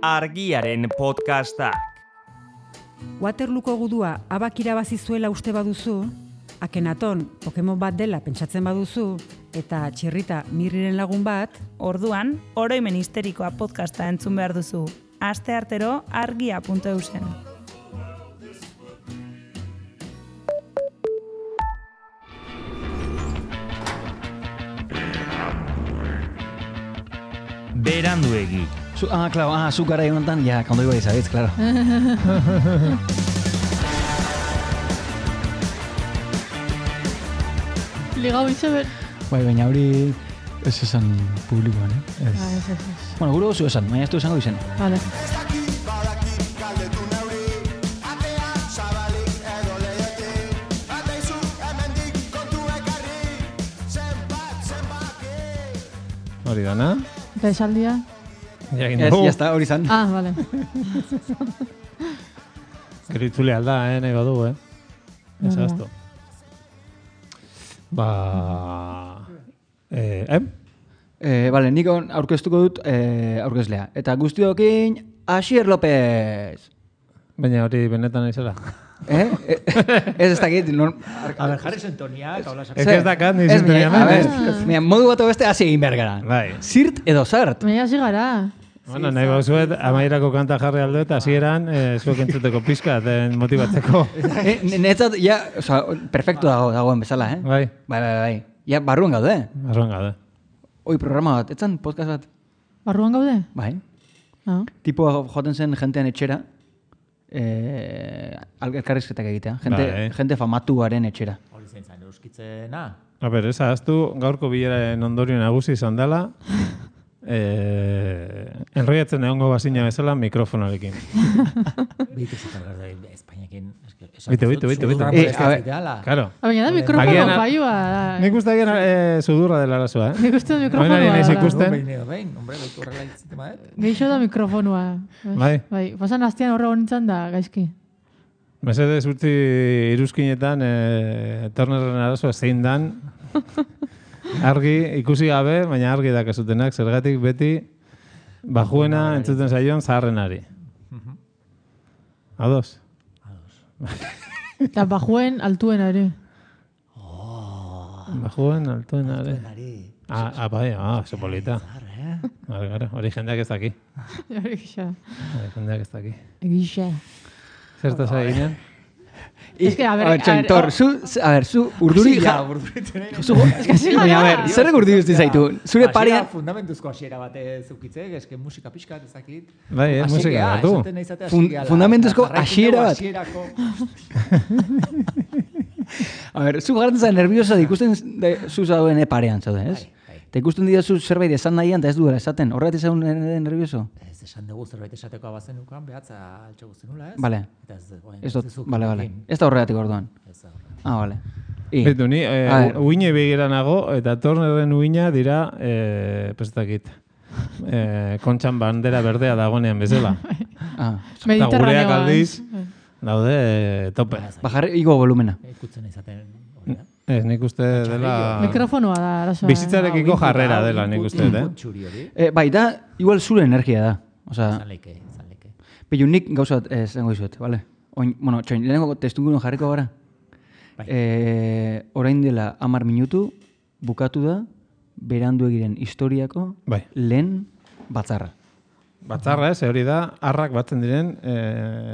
Argiaren podcastak. Waterlooko gudua abak irabazi zuela uste baduzu, Akenaton Pokemon bat dela pentsatzen baduzu, eta Txirrita Mirriren lagun bat, orduan, oroimen histerikoa podcasta entzun behar duzu. Asteartero argia.eusen. Beranduegi. Claro, zu gara egonetan, ja, kondo iba izabitz, claro. Ligau izaber. Bai, baina hori ez esan publikoan, eh? Ez. Bueno, gure gozu esan, baina ez du esango izen. Vale. Hori dana. Eta esaldia? Jakin Ez, dugu. jazta, hori zan. Vale. Gero itzule alda, nahi badu, Ez Hala. azto. Bale, nik aurkeztuko dut aurkezlea. Eta guztiokin, Asier López. Baina hori benetan izela. Ez dakit. A ver, jarri sintonia, kaulas. Ez dakat, ni Ez, sintonia a ver, hemen. modu bat beste hasi egin behar gara. Bai. Zirt edo zart. Baina hasi gara. Bueno, nahi bauzuet, amairako kanta jarri aldo eta hasieran zuek entzuteko pizkat motibatzeko. Netzat, ja, oza, perfecto dagoen bezala, eh? Bai, Bai. Ja, barruan gaude. arroan gaude. Hoi programa bat, etzan podcast bat. Barruan gaude? Bai. Ah. Tipo joaten zen jentean etxera, elkarrizketak egitea. Bai. Jente famatuaren etxera. Hori zein zain euskitzena. A ber, ez ahaztu, gaurko bileraren ondorio nagusi izan dela, enroiatzen egongo bazina bezala mikrofonarekin. Bitu zakargar da Espainiakin. Bitu. A ver, Claro. Baina da mikrofono Agian- paioa. Nik uste agian sudurra dela arazoa, Nik uste da Orain mikrofonoa. ari naiz dela. ikusten. Hombre, baitu horrela itzitema, Geixo da mikrofonoa. Bai. Pasan astean horre honintzen da, gaizki. Mesedez utzi iruzkinetan Turnerren arazoa zein dan. Argi, ikusi gabe, baina argi dakasutenak, zergatik beti bajuena entzuten zaion zaharrenari. Ados? Eta bajuen altuen ere. Bajuen, altuenari. Bai, oso polita. Gara, hori jendeak ez daki. Egixa. Hori jendeak ez daki. Egixa. Zertaz eginen? Es que, a ver, Txentor, zu urduri... Baina, a ver, zer urduri uste zaitu? Zure parean... Fundamentuzko hasiera bat zukitze, eske musika pixkat ezakit. Bai, musika batu. Fundamentuzko hasiera bat. Hasierako. A ver, zu garatzen zara nerviosa ikusten zu zauden parean zaude, ez? Eta ikusten dira zu zerbait esan nahian, eta ez duela esaten. Horregatik zaun nervioso? Ez esan dugu zerbait esateko abazenukan, behatza altxo guztenula, ez? Bale. Eta ez Ez dut, bale. Ez da horregatik orduan. Bale. Betu, ni uine begira nago, eta Turnerren uina dira, prestakit, kontxan bandera berdea dagoenean bezala. Eta gureak aldiz, daude tope. Bajarri igo volumena. Ikutzen izaten. Ez, nik uste dela... Mikrofonoa da, arazoa. Bizitzarekiko jarrera dela, nik uste, Bai, da, igual zure energia da. Osa, Zanleike. Pillu, nik gauzat zengo izuet, bale? Bueno, txoin, lehenengo testugunun jarriko gara. Orain dela 10 minutu, bukatu da, Beranduegiren historiako lehen batzarra. Batzarra ez, hori da, arrak batzen diren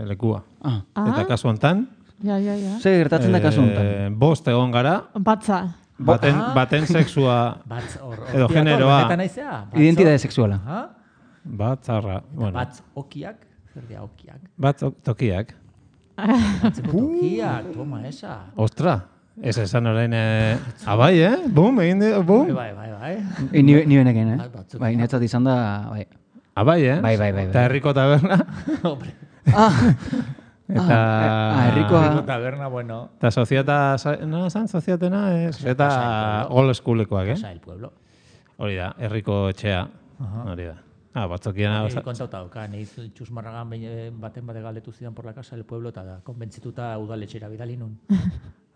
lekua. Eta kasu hontan, Ja. Zer gertatzen da kasu honetan? Bost egon gara, Batza. baten sexua edo generoa. Identitate sexuala. Batzarra. Batz okiak, zer dira okiak? Batz tokiak. Tokiak, toma esa. Ostra, ez esan orain, abai, Bum, egin di, bum. Bai. Ni benekin, Bai, netzat izan da, bai. Abai, Bai. Eta herriko taberna. Eta... herrikoa... taberna, bueno. Eta soziata... No, zan soziatena, eta old schoolekoak, Casa del pueblo. Hori da, herriko etxea. Hori da. Batzokian... Kontauta dauka, nahi txusmarragan baten bate galdetu zidan por la casa del pueblo, eta konbentzituta udaletxera bidali nun.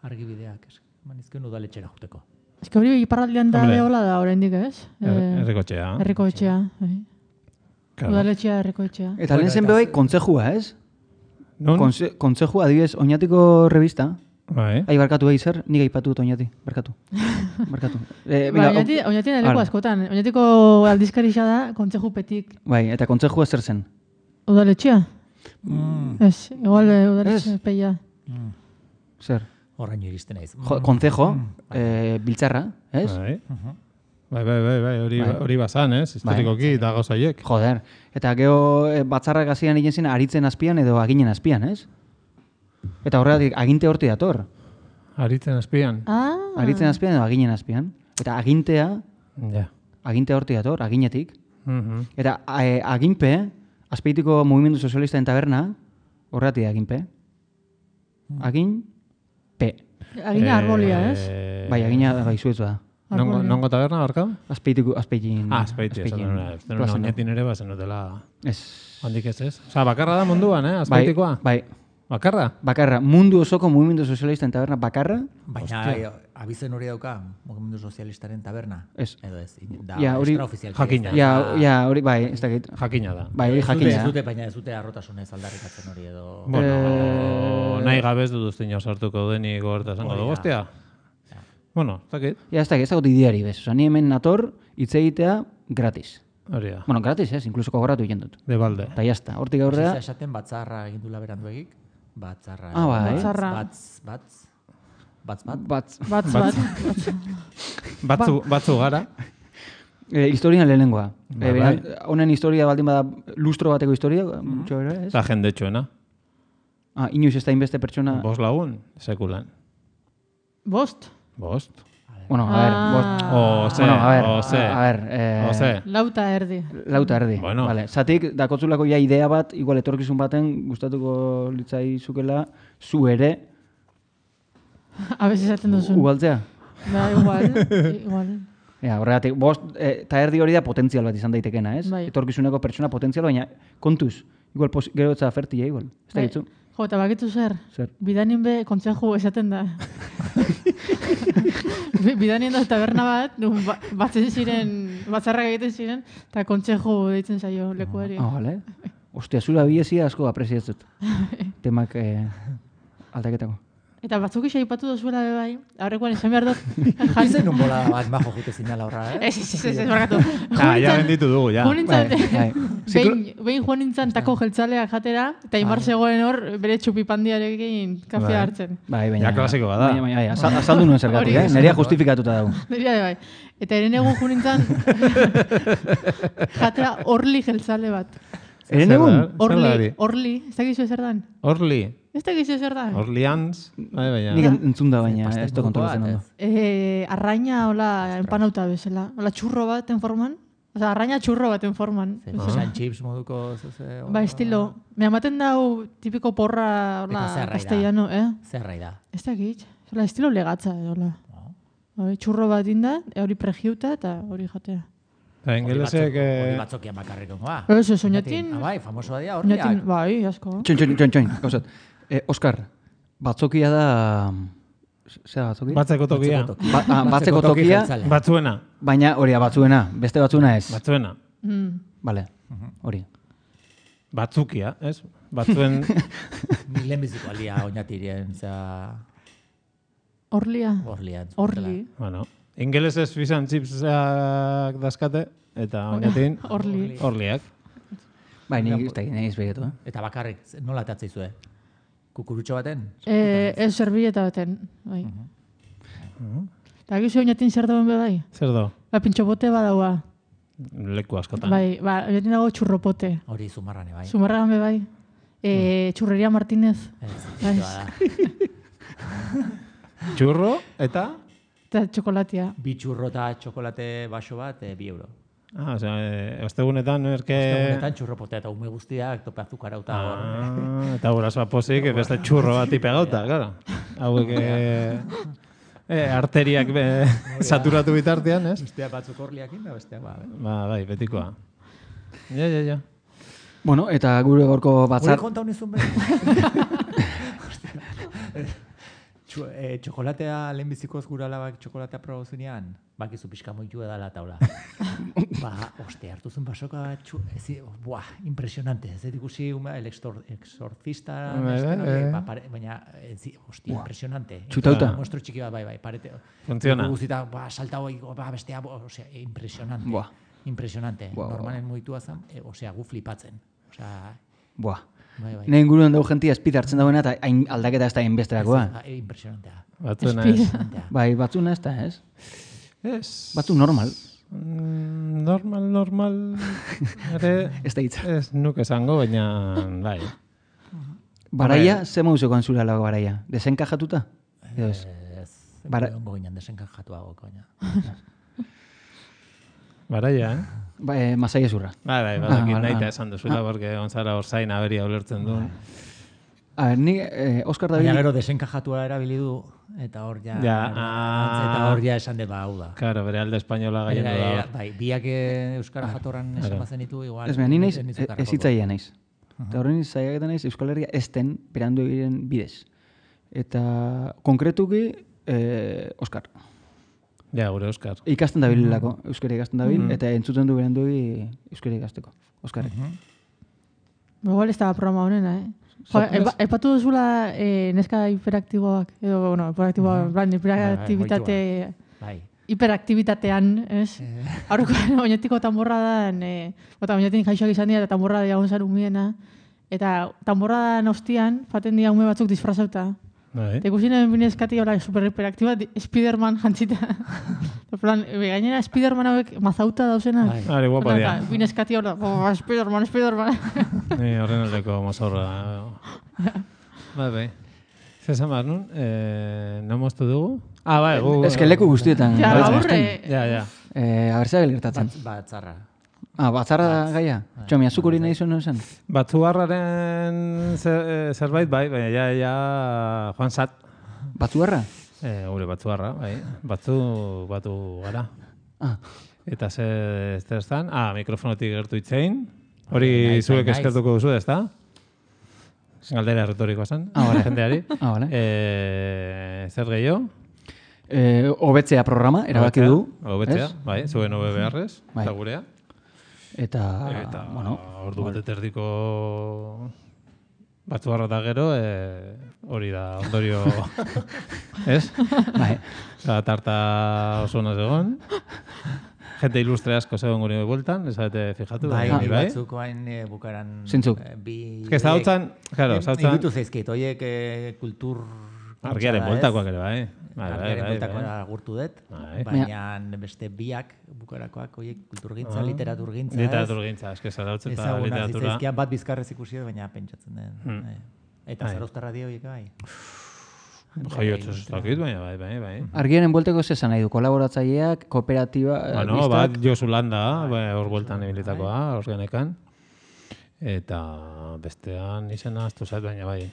Argibideak, manizken udaletxera juteko. Ez que hori iparraldean da behola da oraindik, ez? Herriko etxea. Herriko etxea, bai. Udaletxea herriko etxea. Eta lehen zen behoi, kontzejua, ez? Non? Kontzejua, adibidez, Oñatiko revista. Bai. Barkatu zer, nik aipatu dut Oñati, barkatu. Oñati leku askotan. Oñatiko aldizkarixa da, kontzejupetik. Bai, eta kontzejua zer zen? Udaletxea? Ez, igual udaletxea peia. Zer? Horraino iristen naiz. Konzejo, biltzarra, ez? Bai, hori bazan, ez? Historikoki eta gauzaiek. Joder, eta geho batzarrak hasian egin zen aritzen azpian edo aginen azpian, ez? Eta horregatik, aginte horti dator. Aritzen azpian. Aritzen azpian edo aginen azpian. Eta agintea, aginte horti dator, aginetik. Eta aginpe, azpeitiko mugimendu sozialista taberna, horregatik aginpe. Aginpe. Agina arbolia, ez? Bai, agina bai zuetzu da. Nongo taberna, barka? Azpeitin. Azpeitin, oñatin ere bazen dutela. Ez. Handik ez. Osa, bakarra da munduan, azpeitikoa? Bai. Bakarra? Bakarra. Mundu osoko mugimendu sozialisten taberna bakarra. Baina abizen hori dauka, mugimendu sozialistaren taberna? Ez. Edo ez, da extraofizialki. Jakina. Ja, hori, bai, ez dakit. Jakina da. Bai, hori jakina. Baina ez dute arrotasunez aldarrikatzen hori edo... Bueno, nahi gabez dut ustino sartuko denik gorta zango dugu, ostia? Bueno, ez dakit. Ja, ez dakit, ez dakit ideari bez. Osa, ni hemen nator, hitz egitea gratis. Hori da. Bueno, gratis, ez, inkluso kogoratu egin dut. De balde. Eta jazta, hortik aurrera... Esaten batzarra egin dula berandu egik. Batzarra. Bai. Batzu gara. Historian lehenengoa. Honen historia baldin bada lustro bateko historia, mutxo bera, ez? Eta jendetxoena. Inoiz ez da inbeste pertsona... 5 lagun, sekulan. Bost? Bueno, a ver, bost... Ose. Lauta erdi. Bueno. Vale. Zatik, dakotzulako ja idea bat, igual etorkizun baten, gustatuko litzai zukela, zu ere... Abez esaten duzun. Ugaltzea? Da, igual. Horregatik, bost, eta erdi hori da potentzial bat izan daitekena, ez? Bai. Etorkizuneko pertsona potentzial, baina kontuz. Igual, gero etza fertia, igual. Ez da gitzu? Jo, eta bakitu zer? Zer? Bidanin be kontzeju esaten da. Bidanin da taberna bat, batzen ziren, batzarrak egiten ziren, eta kontzeju deitzen zaio lekuari. Vale. Ostia, zura biezia asko apreziatzut. Temak aldaketako. Eta batzuk isa ipatu dozuela bai, aurrekoan esan behar dut. Izen un bola bat majo jute zinala horra, Ez, barkatu. Ja benditu dugu, ja. Behin joan nintzen tako jeltzaleak jatera, eta Imar zegoen hor bere txupipandiarekin kafea hartzen. Bai, Ja klasiko bada. Baina, azaldu nuen zergatik, Nerea justifikatuta dago. Nerea bai. Eta eren egun joan nintzen jatera orli jeltzale bat. Eren egun? Orli, ez dakizu ezer dan? Orli. Ez dakizu ezer dan? Orleans. Nik entzun da baina, ez da kontrolatzen ondo. Arraina, hola, empanauta bezala. Hola, txurro baten forman. Osa, arraina txurro baten forman. San chips moduko... Ba, estilo. Me amaten dau tipiko porra, hola, castellano, Zerrai da. Ez dakit. Hola, estilo legatza, hola. Txurro bat inda, hori pregiuta eta hori jatea. Eta ingelesek... Hori batzokian bakarriko, ba. Ez, oinatin... Bai, famosoa dira horriak. Bai, asko. Txoin, gauzat. Oskar, batzokia da... Zer batzokia? Batzeko tokia. Batzeko tokia. Batzuena. Baina hori batzuena, beste batzuena ez. Batzuena. Vale, hori. Batzukia, ez? Batzuen... Lehenbiziko alia oinatirien, Orlia. Orli. Bueno, ingelesez fish and chipsak dazkate, eta oinatin... Orliak. Bai, nik ez begetu, Eta bakarrik, nola atatzeizue? Kukurutxo baten? Ez servilleta baten, bai. Eta gizu oinatin zer dauen be bai? Zer da? Ba, pintxopote badaua. Leku askotan. Bai, oinatin dago txurropote. Hori Zumarrane, bai. Zumarragan be bai. Txurreria Martínez. Txurro eta? Eta txokolatia. 2 txurro eta txokolate baso bat, 2 euro. Ostegunetan, Ostegunetan txurropotea eta ume guztiak tope azukarauta hor. Eta gurasoa pozik, beste txurro bat ipegauta, claro. Hauek arteriak saturatu bitartean, ez? Besteak batzuk orliakin da, besteak bai, betikoa. Ja. Bueno, eta gure gorko batzar... Gure konta honizun behar. Txokolatea lehenbizikoz gura alabak txokolatea probazunean, bakizu pixka moitu edala taula. Hartu zen basoka, impresionante. Ez ikusi el exorcista, baina, impresionante. Txutauta. Muestro txiki bat, bai, parete. Funciona. Guzita, saltau, bestea, impresionante. Impresionante. Normalen moitua zen, gu flipatzen. Buah. Nire inguruan dago jentia espid hartzen dagoena eta aldaketa ez da inbesterakoa. Impresionantea. Batzuna ez. Bai, batzuna ez da, ez? Ez. Batzu normal. Normal. Ez da hitza. Ez nuk esango, baina bai. Baraia, ze mauzukoan zure alago baraia? Desenkajatuta? Ez. Ongo ginen desenkajatuago, koina. Baraia, Masaia zurra. Bai, badakit nahi eta esan duzuela, porque Gonzalo Orzain aberia ulertzen duen. A ver, ni Oskar David... Baina gero desenkajatua erabili du, eta hor ja esan dut hau da. Claro, bere alde espainola gaien da. Bai, biak euskara jatorran esan bazen ditu, igual... Ez ni naiz, ez hitzaia naiz. Eta horren zaiaketan naiz, Euskal Herria ezten berandu egiten bidez. Eta konkretuki, Oskar. Ja, gure Oskar. Ikasten dabilelako, euskara ikasten dabil, eta entzuten du berandu euskara ikasteko, Oskarrek. Igual ez da programa honena, Epatu duzula neska hiperaktiboak, edo, hiperaktibitate... Hiperaktibitatean, ez? Aurreko oinetiko tamborradan, oinetik jaixoak izan dira, eta tamborrada diagon zan umiena, eta tamborradan ostian, faten dira ume batzuk disfrazauta. Eta ikusi neben binezkati super hiperaktiba, Spiderman jantzita. Gainera, Spiderman hauek mazauta dauzena. Ari, guapa dira. Binezkati Spiderman. Horren aldeko mazorra. Bai. Zesan behar nun, no moztu dugu? Bai, gu... Ez que leku guztietan. Ja, aurre. Ja. Abertzea gertatzen. Batzarra. Batzarra da gaia? Txomi, azuk hori nahi zuen zen? Batzuarraren zerbait, bai, baina ja Juan Sat. Batzuarra? Gure batzuarra, bai. Batu gara. Eta zer estan? Mikrofonotik gertu itzein. Hori zuek eskertuko duzu, ez da? Galdera retorikoa zen, jendeari. Zer gehiago? Hobetzea programa, erabaki du. Hobetzea, bai, zuen hobe beharrez, eta gurea. Eta ordu bat erdiko batzuarra da gero, hori da ondorio, ez? Bai. Tarta oso naz egon. Gente ilustre asko zegoen gure bueltan, ezabete fijatu. Bai, batzuk hain bukaran... Zintzuk. Ez da hautzan, claro, zautzan... Igutu zaizkit, oiek kultur... Argiaren bueltakoak ere, bai. Argiaren bueltakoa agurtu dut, baina beste biak bukarakoak, oiek kulturgintza, literaturgintza, ez? Literaturgintza, eske zarautzen eta literatura... Ezazkian bat bizkarrez ikusi baina pentsatzen den. Eta Zarauztarra dio horiek bai. Jaiotxos ez dakit, baina bai. Argiaren buelteko zesan nahi du, kolaboratzaileak, kooperatiba... Bat Josu Landa, hor bueltan ebilitakoa, hor genekan. Eta bestean izena aztu zait, baina bai.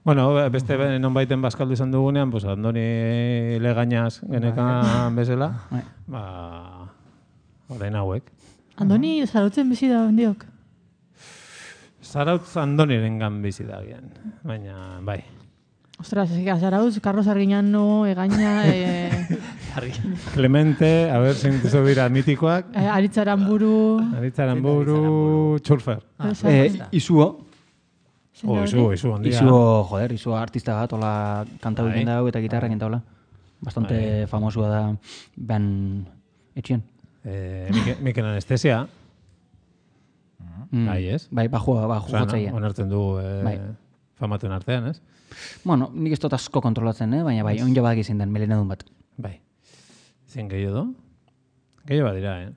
Bueno, beste nonbaiten bazkaldu izan dugunean, pues Andoni Legañaz genekan bezala, orain hauek. Andoni zarautzen bizi da ondiok? Zarautz Andoniren gan bizi da gian, baina bai. Ostras, Zarautz, Carlos Arguiñano, Egaña... Clemente, a ver, zintizo dira mitikoak. Aritzaranburu... Txurfer. Izuo. Izuo, ondia. Izuo artista bat, hola kantau egiten dago eta gitarra egiten dago. Bastante famosua da ben etxien. Mikel Anestesia. Bai, ez? Bai, bajo gotzaia. Onartzen du famatuen artean, ez? Bueno, nik ez dut asko kontrolatzen, baina bai, onjo badak izin den, melenedun bat. Bai. Zin gehiago do? Gehiago bat dira,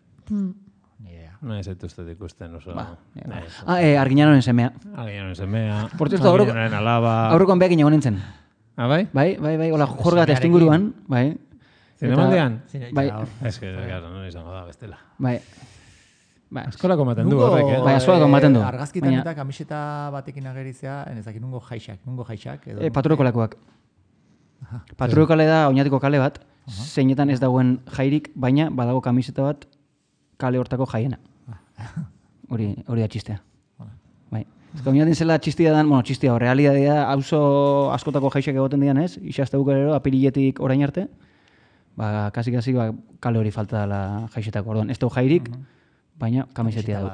Nahi zaituztet ikusten oso... Arguiñanoren semea. Arguiñanoren semea. Por cierto, Arguiñanoren alaba... Aurrekoan behak inago nintzen. Bai? Bai, hola, jorgat estinguruan, bai. Zinemaldean? Bai. Ez que, gara, non izango da, bestela. Bai. Eskolako maten du horrek, Bai, eskolako maten du. Argazkitan eta kamiseta batekin agerizea, enezakin nungo jaixak. Patrueko lakoak. Patrueko kale da oinatiko kale bat, zeinetan ez dagoen jairik, baina badago kamiseta bat kale hortako jaiena. Hori da txistea. Bai. Oinatin zela txistia dan, txistia, realidadea, auzo askotako jaixek egoten dian ez, isazte bukarero, apiriletik orain arte, kasi, kale hori falta dela jaixetako, orduan, ez dugu jairik, baina kamisetia du.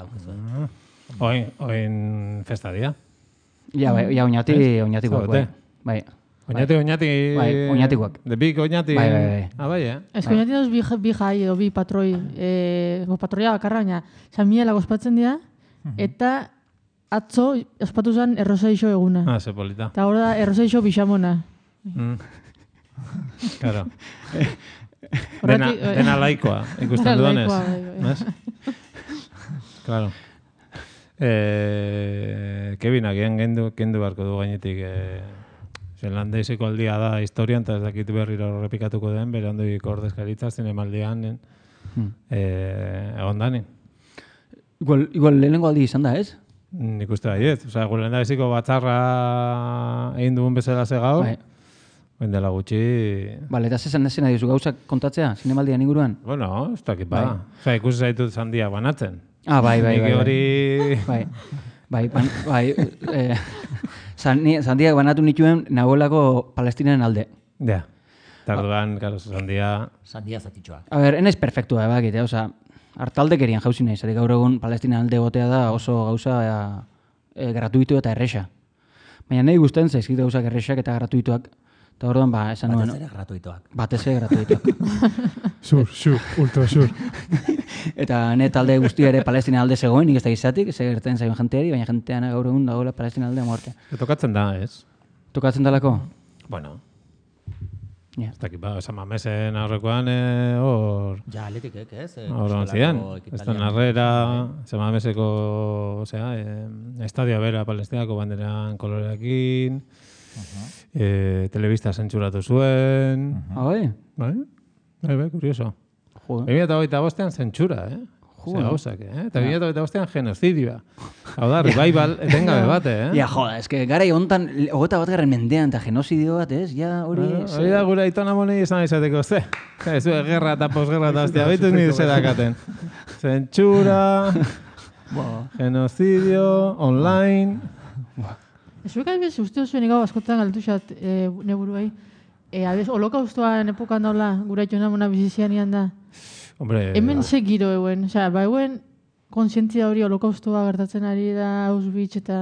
Oin festa dia? Ja, oinatikoak, bai. Oinatikoak. De big oinati. Bai. Bai, Ez que oinati dauz bi jai edo bi patroi, patroia bakarra, baina Samiela ospatzen dira, eta atzo ospatu zen errosaixo eguna. Ze polita. Eta hor da errosaixo bixamona. Claro. Dena laikoa, ikusten dudanez. Claro. Kevin, agian kendu beharko du gainetik Zelandaizeko aldia da historian, eta ez dakit berriro repikatuko den, bere ondoik ordezkaritza zinemaldian egon dani. Igual lehenengo aldi izan da, ez? Nik uste baiet. Osea, gure lehendaizeko batzarra egin dugun bezala ze gaur, dela gutxi... Bale, eta zesan nahi duzu gauzak kontatzea, zinemaldian inguruan? Bueno, ez dakit ba. Osea, ikusi zaitut zandia banatzen. Bai. Nik hori... Bai. Zandiak banatu nituen nagoelako Palestinaren alde. Ja. Tarduan, karo, zandia... Zandia zatitxoa. A ber, enaiz perfektua, bakite, oza, hartaldekerian jauzi nahi, zatik gaur egun Palestinaren alde gotea da oso gauza gratuitu eta erresa. Baina nahi guztien zaizkit gauzak erresak eta gratuituak. Eta orduan, esan nuen... Batez ere gratuituak. Batez ere gratuituak. ultra sur. Eta talde guztia ere Palestina alde zegoen, nik ez da gizatik, ez gertzen zaion jenteari, baina jentean gaur egun dagoela Palestina aldea muerte. Tokatzen da, ez? Tokatzen dalako? Bueno. Ja. Ez dakit, esan mamesen aurrekoan hor... Ja, atletikek, ez? Hor ontzian. Ez da narrera, esan mameseko, estadio bera Palestinako banderan koloreakin, telebista zentzuratu zuen... Bai, kurioso. 2025an zentsura, Ze gauzak, Eta 2025an genozidioa. Hau da, revival etengabe bat, Ja, joda, eske gara hontan 21. mendean eta genozidio bat, ez? Ja, hori... Hori da gure aitona monei izan izateko, ze? Ez gerra eta posgerra eta hostia, baitu nire zedakaten. Zentsura, genocidio, online... Zuek albiz, uste zuen igau askotan galtu xat neburuei. Holokaustoan epokan daula, gure aitona mona bizizian ian da. Hombre... Hemen ze giro eguen, eguen konsientzia hori holokaustoa gertatzen ari da, Auschwitz eta...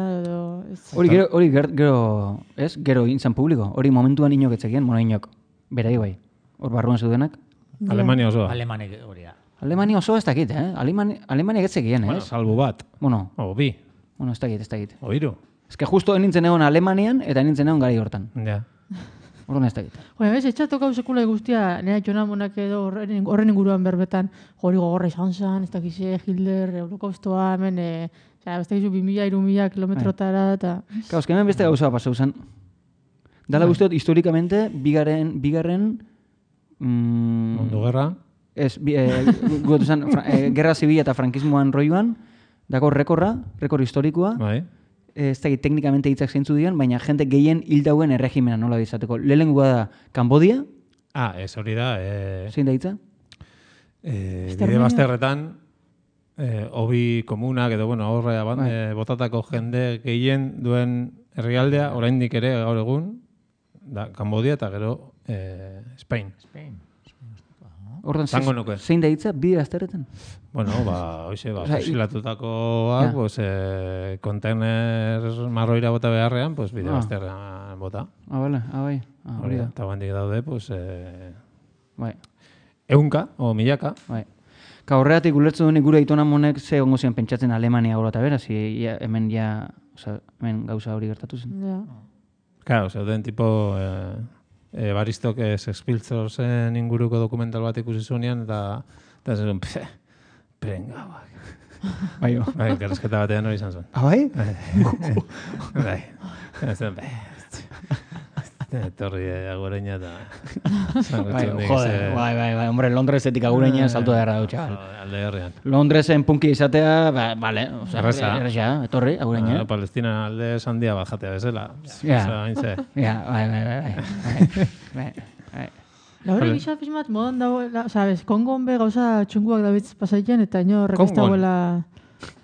Hori gero intzan publiko, hori momentuan inok etzekien, inok, berai bai, hor barruan zeudenak. Alemania osoa. Alemania osoa ez dakit, Alemania etzekien, ez? Bueno, salbu bat. O bi. Ez dakit. O hiru. Ez que justo nintzen egon Alemanian eta nintzen egon garai hortan. Ja. Horren ez dakit. Etxatokau sekula guztia, nera Jona Monak edo horren inguruan berbetan, hori gogorra izan zen, ez dakize, Hitler, holokaustoa, hemen, ez dakizu 2000-3000 kilometrotara, eta... Kauz, hemen beste gauza pasau zen. Dala guztiot, historikamente, bigarren... Mundu gerra? Ez, guetu zen, gerra zibila eta frankismoan roioan, dako rekor historikoa. Bai. Ez da, teknikamente hitzak zeintzu dian, baina jente gehien hil dauen erregimena nola bizateko. Lehenengoa da Kambodia. Ez hori da. Zein da hitza? Bide bazterretan, hobi komunak edo, horre botatako jende gehien duen herrialdea, oraindik ere gaur egun, da Kambodia eta gero Spain. Ordan, zein da hitza, bide bazterretan? Bueno, fusilatutakoak, kontener marroira bota beharrean, bide bazterrean bota. Bai. Hori da. Eta bandik daude, bai. Eunka, o milaka. Bai. Ka horregatik ulertzen duen gure aitona monek ze ongo zian pentsatzen Alemania gora eta beraz, hemen gauza hori gertatu zen. Ja. Claro, zeuden tipo... Baristok Sex Pillszen inguruko dokumental bat ikusi zuenean, eta zen, prenga, bai. Gerrezketa batean hori izan zuen. Bai? Bai. Zen, torri agureña eta... Bai, hombre, Londresetik agureña salto da erra dut, txabal. Alde herrian. Londresen punki izatea, bale, erresa, etorri, agureña. Palestina alde sandia bajatea bezala. Ja, bai. Laura gisa fismat modan dago, sabes, Kongon be gauza txunguak dabitz pasaitzen eta ino rekestagoela...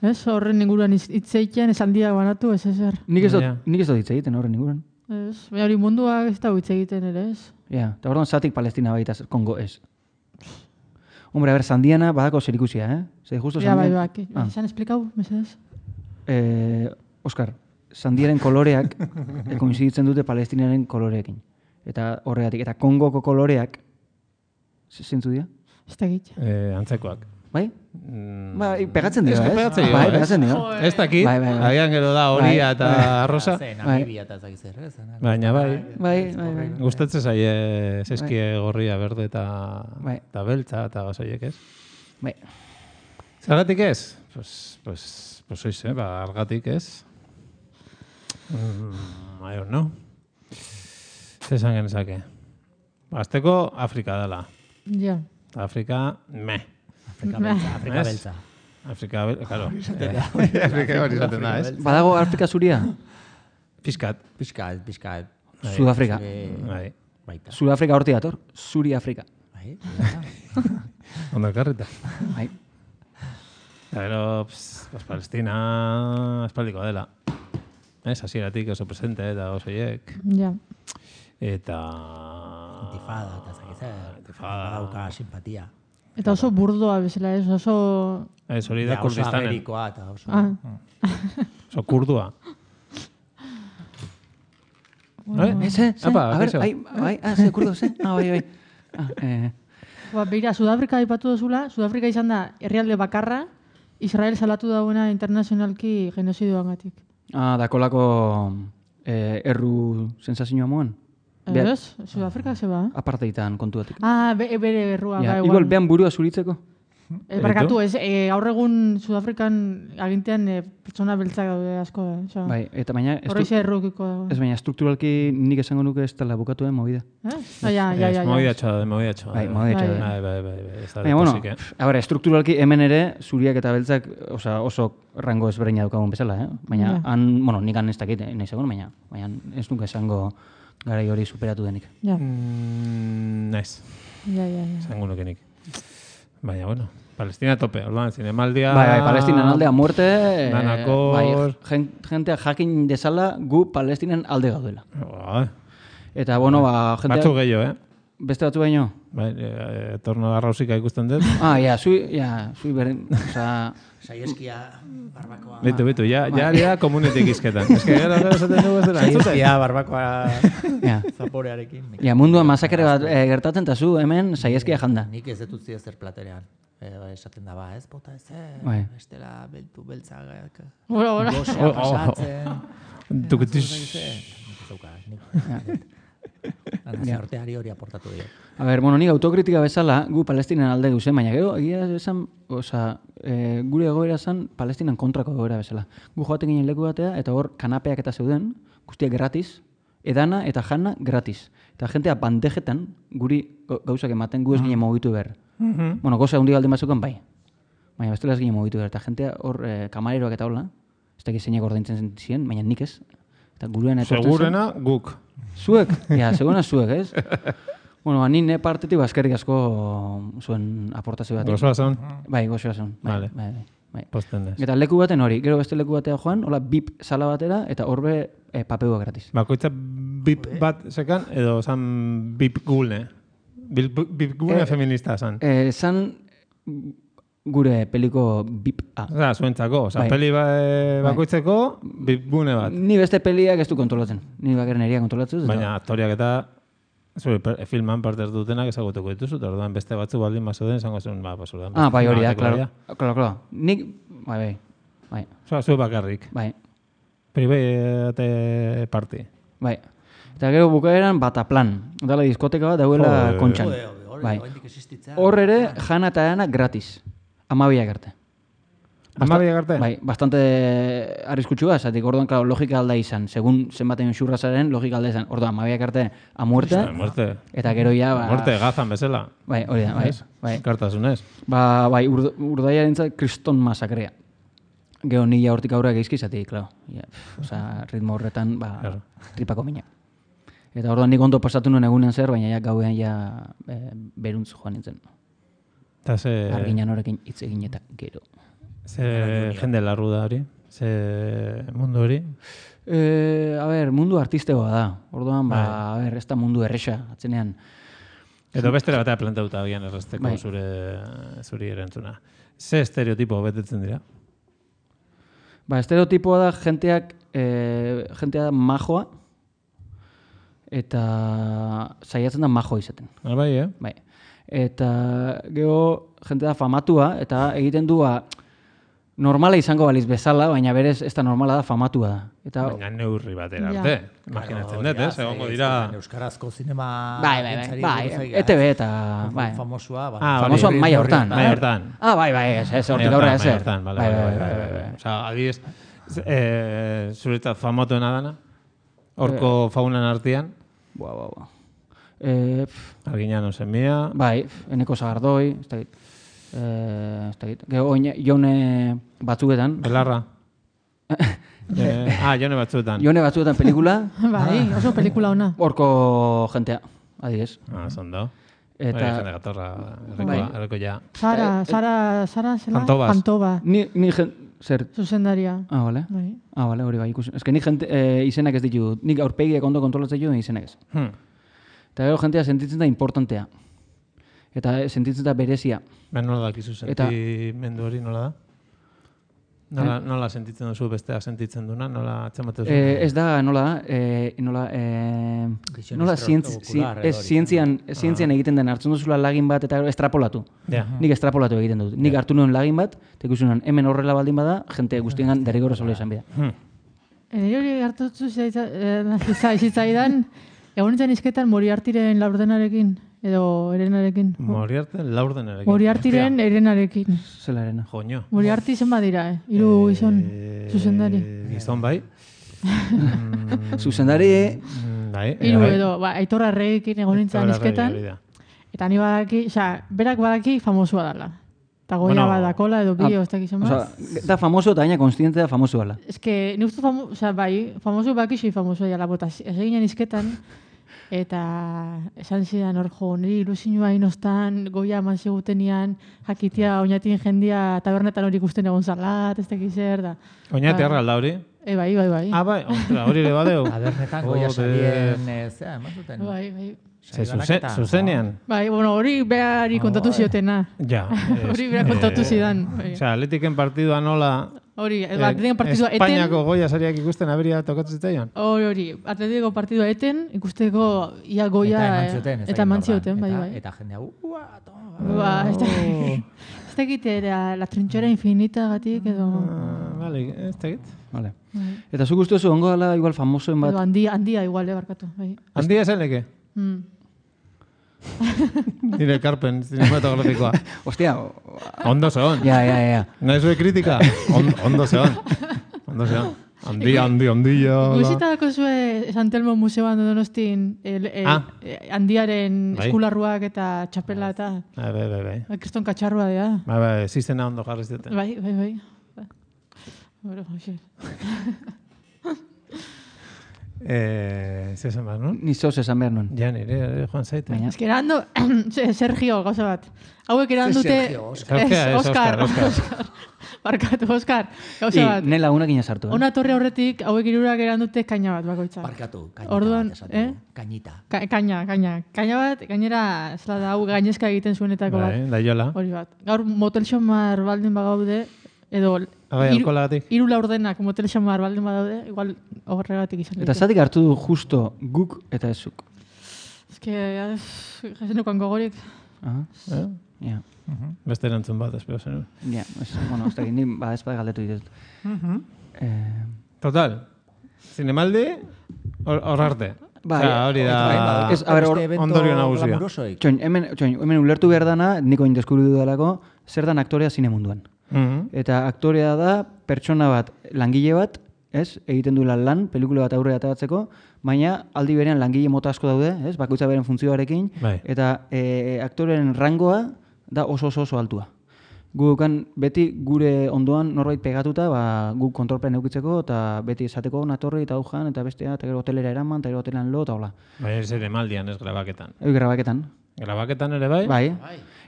Ez, horren inguruan hitzeiten, esan dia banatu, ez ezer. Nik ez dut hitz egiten horren inguruan. Ez, baina hori mundua ez da hitz egiten ere, ez? Ja, eta orduan zatik Palestina baita Kongo ez. Hombre, a ver, Sandiana badako zerikusia, Zer justo Sandiana... Ja, bai, esan esplikau, mesedez? Oskar, Sandiaren koloreak koinziditzen dute Palestinaren koloreekin. Eta horregatik, eta Kongoko koloreak, zentzu dira? Ez da git. Antzekoak. Bai? Pegatzen dira, ez? Bai, pegatzen dira. Ez dakit, agian gero da horia eta arrosa. Namibia eta zagizer, ez? Baina bai. Gustatzen zaie zeskie gorria, berde eta beltza eta gazoiek, ez? Bai. Zergatik ez? Pues oiz, argatik ez? I don't know. Zesan genezake. Azteko Afrika dela. Ja. Afrika, meh. Afrika beltza. Afrika beltza, claro. Afrika hori izaten da, ez? Badago Afrika zuria? Piskat. Sudafrika. Sudafrika horti dator. Zuri Afrika. Ondo elkarrita. Bai. Pero, Palestina espaldiko dela. Ez, hasieratik oso presente eta oso hiek. Ja. Eta... Intifada eta zagizer. Badauka simpatia. Eta oso burdoa bezala, ez? Oso... Ez, hori da Kurdistanen. Oso amerikoa eta oso... Oso kurdua. A ver, ze kurdo, ze? Bai. Beira, Sudafrika aipatu duzula, Sudafrika izan da herrialde bakarra, Israel salatu dauena internazionalki genozidoangatik. Dakolako erru sensazioa moan? Ez, Sudafrika zeba. Aparteitan kontuatik. Bere errua. Igual, behan burua zuritzeko? Barkatu, ez, gaur egun Sudafrikan agintean pertsona beltzak daude asko. Bai, eta baina... Horreize errukiko dago. Ez baina, strukturalki nik esango nuke ez tala bukatu movida. Ja. Movida txoa. Bai. Baina, bueno, strukturalki hemen ere, zuriak eta beltzak oso rango ezberdina daukagun bezala, Baina, nik ez dakit, nahi segun, baina ez nuke esango garai hori superatu denik. Ja. Naiz. Ja. Esango nuke nik. Baina, bueno, Palestina tope, orduan, zinemaldia... Bai, Palestina aldea muerte... Danakor... Bai, jentea jakin dezala gu Palestinen alde gaudela. Eta, bueno, jentea... Batzu gehiago, Beste batzu baino? Bai, torno arrausika ikusten dut. Zui beren, oza... Saieskia barbakoa... Bitu, ja komunetik izketan. Ez que gero esaten dugu ez dela. Saieskia barbakoa zaporearekin. Munduan masakre bat gertatzen eta zu hemen saieskia janda. Nik ez dut zio zer platerean. Esaten daba, ez bota ez, estela beltzagak. Goxea pasatzen. Nazioarteari hori aportatu dio. A ver, nik autokritika bezala, gu Palestinan alde duzen, baina gero, egia esan, gure egoera zen Palestinan kontrako egoera bezala. Gu joaten ginen leku batea, eta hor kanapeak eta zeuden, guztiak gratis, edana eta jana gratis. Eta jentea bandejetan, guri gauzak ematen, gu ez ginen mugitu behar. Bueno, goza hundi galden batzuken, bai. Baina bestela ez ginen mugitu behar. Eta jentea hor kamareroak eta hola, ez dakit zeinak ordaintzen ziren, baina nik ez. Eta gurean segurena guk. Zuek? Segurena zuek, ez? Bueno, nine partetik eskerrik asko zuen aportazio bat. Gozoa zon? Bai, gozoa zon. Vale. Posten dez. Eta leku baten hori, gero beste leku batea joan, hola bip sala batera, eta horbe papeua gratis. Bakoitza bip bat sekan, edo zan bip gulne? Bip gulne feminista zan? Zan gure peliko bip A. Zuentzako, peli bakoitzeko bip gune bat. Ni beste peliak ez du kontrolatzen. Ni bakaren eria kontrolatzen. Baina aktoriak eta filman parte dutenak ezagutuko dituzu, eta orduan beste batzu baldin mazoden, esango zuen, pasurdan. Bai, hori da, klaro. Nik, bai. Zu bakarrik. Bai. Private party. Bai. Eta gero bukaeran Bataplan. Dala diskoteka bat dauela kontxan. Bai. Hor ere, jana eta jana gratis. 12 arte. 12 arte? Bai, bastante arriskutsua, zatik orduan, claro, logika alda izan. Segun zenbaten xurrazaren, logika alda izan. Orduan, 12 arte a muerte. Eta gero ja... Muerte, gazan bezala. Bai, hori da, bai. Kartasunez. Bai, urdaiaren zat, kriston masakrea. Gero nila hortik aurrak eizkizatik, claro. Ritmo horretan, tripako mina. Eta orduan nik ondo pasatu nuen egunen zer, baina gauean beruntz joan nintzen. Arginan horrekin hitz egin eta gero. Ze jende larru da hori? Ze mundu hori? Mundu artistegoa da. Orduan, ez da mundu erresa, atzenean. Edo bestera batea plantauta agian erresteko zuri erantzuna. Ze estereotipo betetzen dira? Estereotipoa da jentea da majoa, eta saiatzen da majoa izaten. Bai. Eta gero jentea da famatua, eta egiten dua normala izango baliz bezala, baina berez ez da normala da famatua da. Baina neurri batera arte. Imaginatzen dut, egongo dira... Euskarazko zinema... Bai, ETV eta... Famosua... Famosua maia hortan. Bai, ez hortik aurrera ez. Bai. Osa, adibidez, zuretzat famatuena dana? Horko faunan artean? Arguiñano Semia... Bai, Eneko Sagardoi, ez dakit. Gero, Jone batzuetan. Belarra. Jone batzuetan. Jone batzuetan pelikula. Bai, oso pelikula ona. Horko jentea, adiez. Zondo. Eta... Jende gatorra, erreko ja. Sara zela? Jantobas. Ni zer... Zuzendaria. Bale. Bale, hori bai ikusi. Ez que nik izenak ez ditu. Nik aurpegiak ondo kontrolatzen ditu izenak ez. Eta gero jentea sentitzen da importantea. Eta sentitzen da berezia. Nola dakizu sentimendu hori, nola da? Nola sentitzen duzu besteak sentitzen duna? Nola atzematu duzu? Ez da, nola zientzian egiten den hartzen duzula lagin bat eta estrapolatu. Nik estrapolatu egiten dut. Nik hartu nuen lagin bat, eta ikusi nuen hemen horrela baldin bada, jente guztiengan derrigorra zola izan bida. Hori hartutu zitzaidan, egonetan izketan Moriartiren Laurdenarekin. Edo Erenarekin. Moriartiren Laurdenarekin. Moriartiren Erenarekin. Zela Erena. Joño. Moriarti zen badira, 3 gizon zuzendari. Gizon bai. Zuzendari... 3 edo, Aitor Arreekin egon nintzen izketan. Eta ni badaki, berak badaki famosua dala. Eta goia badakola edo bio, ez dakizan bat. Da famoso eta gaina konstiente da famoso dala. Ez que, ni uste famoso bakixi famoso dala, bota, ez eginen izketan, eta esan zidan hor jo, niri ilusinua inostan, goia eman zigutenian, jakitia oinatin jendia tabernetan hori ikusten egon zalat, ez dakiz zer da. Oinati arralda hori? Bai. Bai, hori ere badeu. Tabernetan goia salien, eman zuten. Bai. Zuzenean? Bai, hori behari kontatu ziotena. Ja. Hori behar kontatu zidan. Osea, Atletiken partidua nola... Hori, Atletiken partidua eten... Espainiako goia sariak ikusten aberia tokatzen zitzaion? Hori, Atletiko partidua eten, ikusteko ia goia... Eta eman zioten, bai. Eta jendea, ez dakit, la trinchera infinita gatik edo... Vale, ez dakit. Vale. Eta zuk uste zu, ongo dala igual famosoen bat... Handia igual, barkatu. Handia esan leke? Nire ekarpen cinematografikoa. Ostia. Ondo zehon. Ja. Nahi zue kritika? Ondo zehon. Handia. Guzitako zue San Telmo Museoan Donostin handiaren eskularruak eta txapela eta... Bai. Kriston katxarrua dira. Bai, zizena ondo jarri zuten. Bai. Bueno, hoxe. Zesan behar, non? Ni zoz esan behar, non? Ja, nire joan zaite. Ez que erando, Sergio, gauza bat. Hauek erandute... Oscar. Barkatu, Oscar, gauza bat. Nela unak inazartu. Ona torre horretik, hauek irurak erandute kaina bat, bakoitza. Barkatu, kañita bat. Kañita. Kaina bat, gainera, zela da, hau gainezka egiten zuenetako bat. Da jola. Hori bat. Gaur motel xomar baldin bagaude, edo... Hiru laurdenak motel xamar baldin badaude, igual horregatik izan. Eta zatik hartu du justo guk eta ezuk? Ez que, jasenukoan gogorik. Ja. Beste erantzun bat, espero zen. Ja, ez dakit, ni badezpada galdetu ditut. Total, zinemaldi hor arte. Hori da ondorio nagusia. Hemen ulertu behar dana, niko indeskubritu dalako, zer dan aktorea zine munduan. Eta aktorea da pertsona bat, langile bat, egiten duela lan, pelikula bat aurrera atabatzeko, baina aldi berean langile mota asko daude, bakoitza beren funtzioarekin, eta aktoreen rangoa da oso altua. Gukan beti gure ondoan norbait pegatuta, guk kontrolpean eukitzeko, eta beti esateko natorri eta aujan, eta bestea, eta gero hotelera eraman, eta gero hotelan lo, eta hola. Baina ez ere maldian, ez grabaketan. Grabaketan. Grabaketan ere bai? Bai.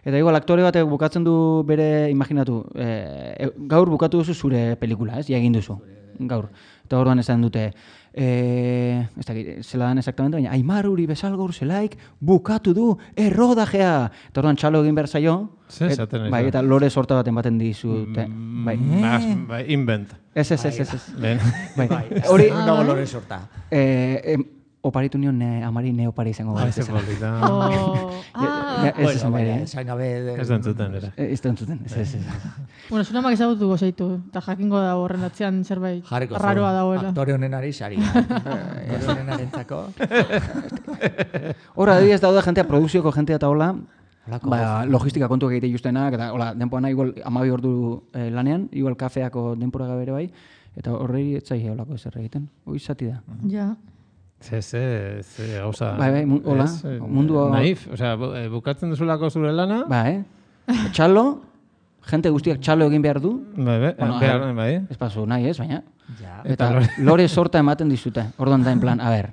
Eta igual aktore batek bukatzen du bere, imaginatu, gaur bukatu duzu zure pelikula, ez? Ja egin duzu, gaur. Eta orduan esan dute, ez dakit, zela dan exactamente, baina Aimaruri bezalgaur zelaik bukatu du errodajea. Eta orduan txalo egin behar zaio, bai, eta lore sorta baten baten dizute. Bai, invent. Ez. Bai, hori nago lore sorta. Oparitu nion amari neopari izango gara. Ez polita. Ez esan bere. Ez dentzuten, era. Ez dentzuten, ez. Bueno, zunamak ezagutu gozeitu, eta jakingo da horren atzean zerbait raroa dagoela. Aktore honenari sari. Aktore honenarentzako. Horra, adibidez daude jentea, produkzioko jentea eta hola, logistika kontuak egite justenak, eta hola, denpoana igual 12 ordu lanean, igual kafeako denpora bere bai, eta horrei etzai holako ezer egiten. Hoi zati da. Ja. Ze, gauza... Bai, hola, mundu... Naif, osea, bukatzen duzulako zure lana... Bai, txalo, jente guztiak txalo egin behar du. Bai. Ez pasu nahi ez, baina... Eta lore sorta ematen dizute. Orduan da en plan, a ber...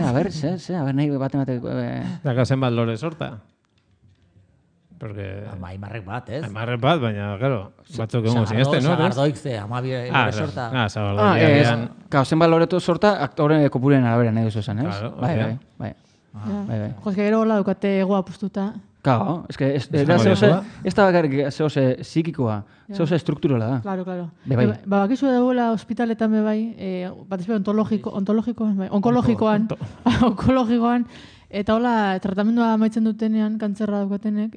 A ber, nahi baten... Daka zenbat lore sorta? Porque... Aimarrek bat, ez? Aimarrek bat, baina, claro, batzuk egon zinezten, no? Sagardoik ze, lore sorta. Sagardoik. Kao, zenbat loreto sorta, aktore kopuren arabera nahi duzu esan, ez? Bai. Joz, gero hola dukate egoa pustuta. Kao, ez da bakarrik zehose psikikoa, zehose strukturala da. Claro. Bakizu dagoela hospitaletan bai, bat ezbera onkologikoan, eta hola, tratamendua amaitzen dutenean, kantzerra daukatenek,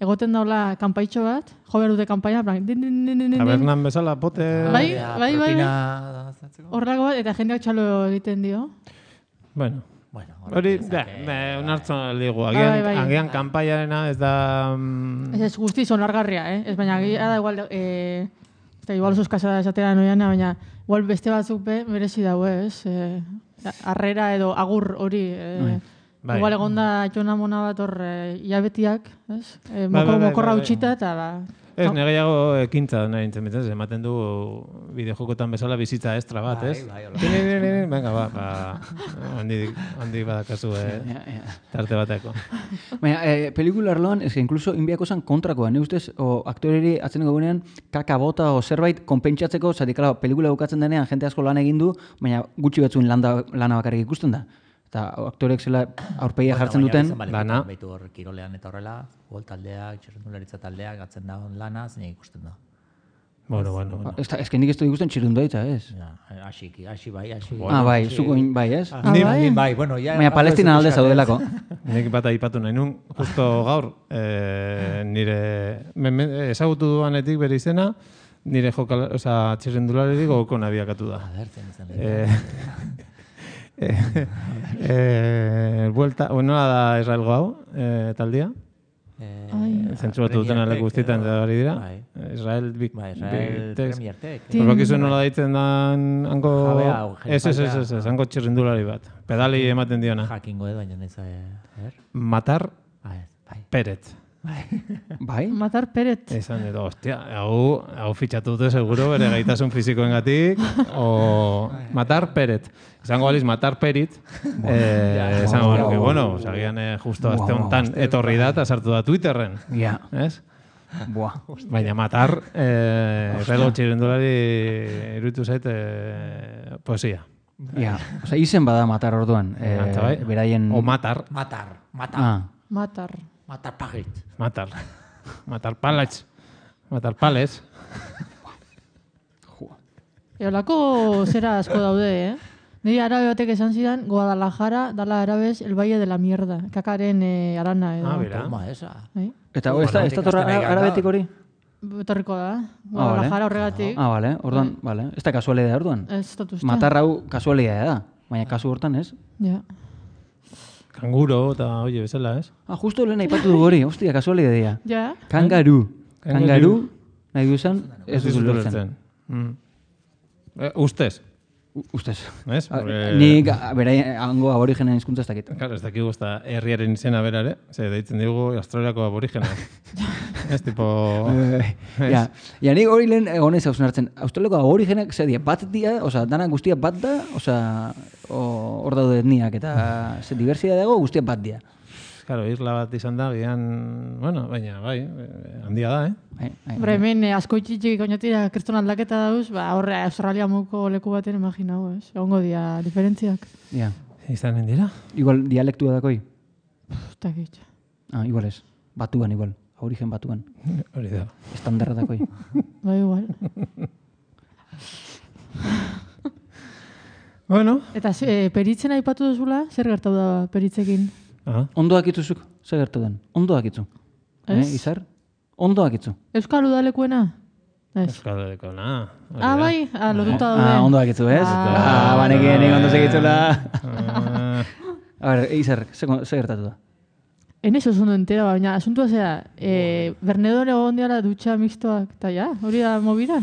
egoten daula kanpaitxo bat, jo behar dute kanpaina, tabernan bezala, pote... Bai. Horrelako bat, eta jendeak txalo egiten dio. Bueno, hori, unartzen ligu, agian kanpaiarena ez da... Ez guztiz onargarria, ez baina agia da igual, igual oso eskasa da esatera noiana, baina igual beste batzuk merezi dago, ez? Arrera edo agur hori, igual egonda txona mona bat hor hilabetiak, ez? Mokorra utxita eta ba... Ez, negeiago ekintza nahi nintzen bitzen, ematen du bideojokotan bezala bizitza estra bat, ez? Venga, handi badakazu tarte bateko. Baina, pelikula arloan, ez que incluso inbiako zan kontrakoa, ne ustez, aktoreri atzeneko gunean kaka bota o zerbait konpentsatzeko, zati, kala, pelikula bukatzen denean, jente asko lan egin du, baina gutxi batzuen lana bakarrik ikusten da. Eta aktorek zela aurpegia jartzen duten lana. Baitu hor kirolean eta horrela, gol taldeak, txirrendularitza taldeak, gatzen da lana, zein ikusten da. Bueno. Ez que nik ez du ikusten txirrendularitza, ez? Asi bai. Bai, zuko bai, ez? Bai, bueno, ja... Baina Palestina alde zaudelako. Nik bat aipatu nahi nun, justo gaur, nire ezagutu duanetik bere izena, nire txirrendularirik gogoko nabiakatu da. Nola da Israelgo hau, taldia? Zentzuratu duten aleko guztietan da hori dira. Israel Premiertek. Horbakizu nola daitzen da hango txirrindulari bat. Pedali ematen diona. Jakingo edo, baina neza... Matar Peret. Bai? Matar Peret. Esan edo, hostia, hau fitxatu dute seguro bere gaitasun fizikoengatik, o Matar Peret. Esango baliz Matar Perit, esango baluke, bueno, agian justo azte honetan etorri da eta sartu da Twitterren. Ja. Ez? Baina Matar, relo txirendulari iruditu zait poesia. Ja, oza, izen bada Matar orduan. Beraien... O Matar. Matar Pagit. Matar Palets. Matar Pales. Eolako zera asko daude, Niri arabe batek esan zidan, Guadalajara dala arabez el Valle de la Mierda. Kakaren arana edo. Bera. Eta ez da torra arabetik hori? Etorriko da. Guadalajara horregatik. Bale. Orduan, bale. Ez da kasualidea orduan? Ez da uste. Matar hau kasualidea da. Baina kasu hortan ez? Ja. Kanguro eta oie bezala, ez? Justo lehen aipatu du hori, hostia, kasualidea. Ja. Kangaru, nahi du esan, ez dut ulertzen. Ustez. Ustez. Ez? Nik hango aborigenen hizkuntza ez dakit. Claro, ez dakigu ez da herriaren izena berare, ze deitzen digu Australiako aborigena. Ez tipo... Ja, nik hori lehen egonez hausen hartzen. Australiako aborigenak ze die, bat dia, danak guztia bat da, hor daude etniak eta ze diversidade dago guztia bat dia. Claro, isla bat izan da, gian, bueno, baina, bai, handia da, Hombre, hemen asko itxitxik oinatira kriston aldaketa dauz, horre Australia muko leku baten imaginau, ez? Egongo dia diferentziak. Ja. Izanen dira? Igual dialektua dakoi? Takit. Igual ez. Batuan, igual. Origen batuan. Hori da. Estandarra dakoi. Ba, igual. Bueno. Eta peritzen aipatu duzula, zer gertatu da peritzekin? Ondo dakituzuk, zer gertu den? Ondo dakitzu. Izar? Ondo dakitzu. Euskal udalekuena? Euskal udalekuena. Bai, lotuta daude. Ondo dakitzu, ez? Banekien ondo segitzula. A ver, Izar, zer gertatu da? En eso ondo entera, baina asuntua zera, Bernedon egon diara dutxa mixtoak, eta ja, hori da movida?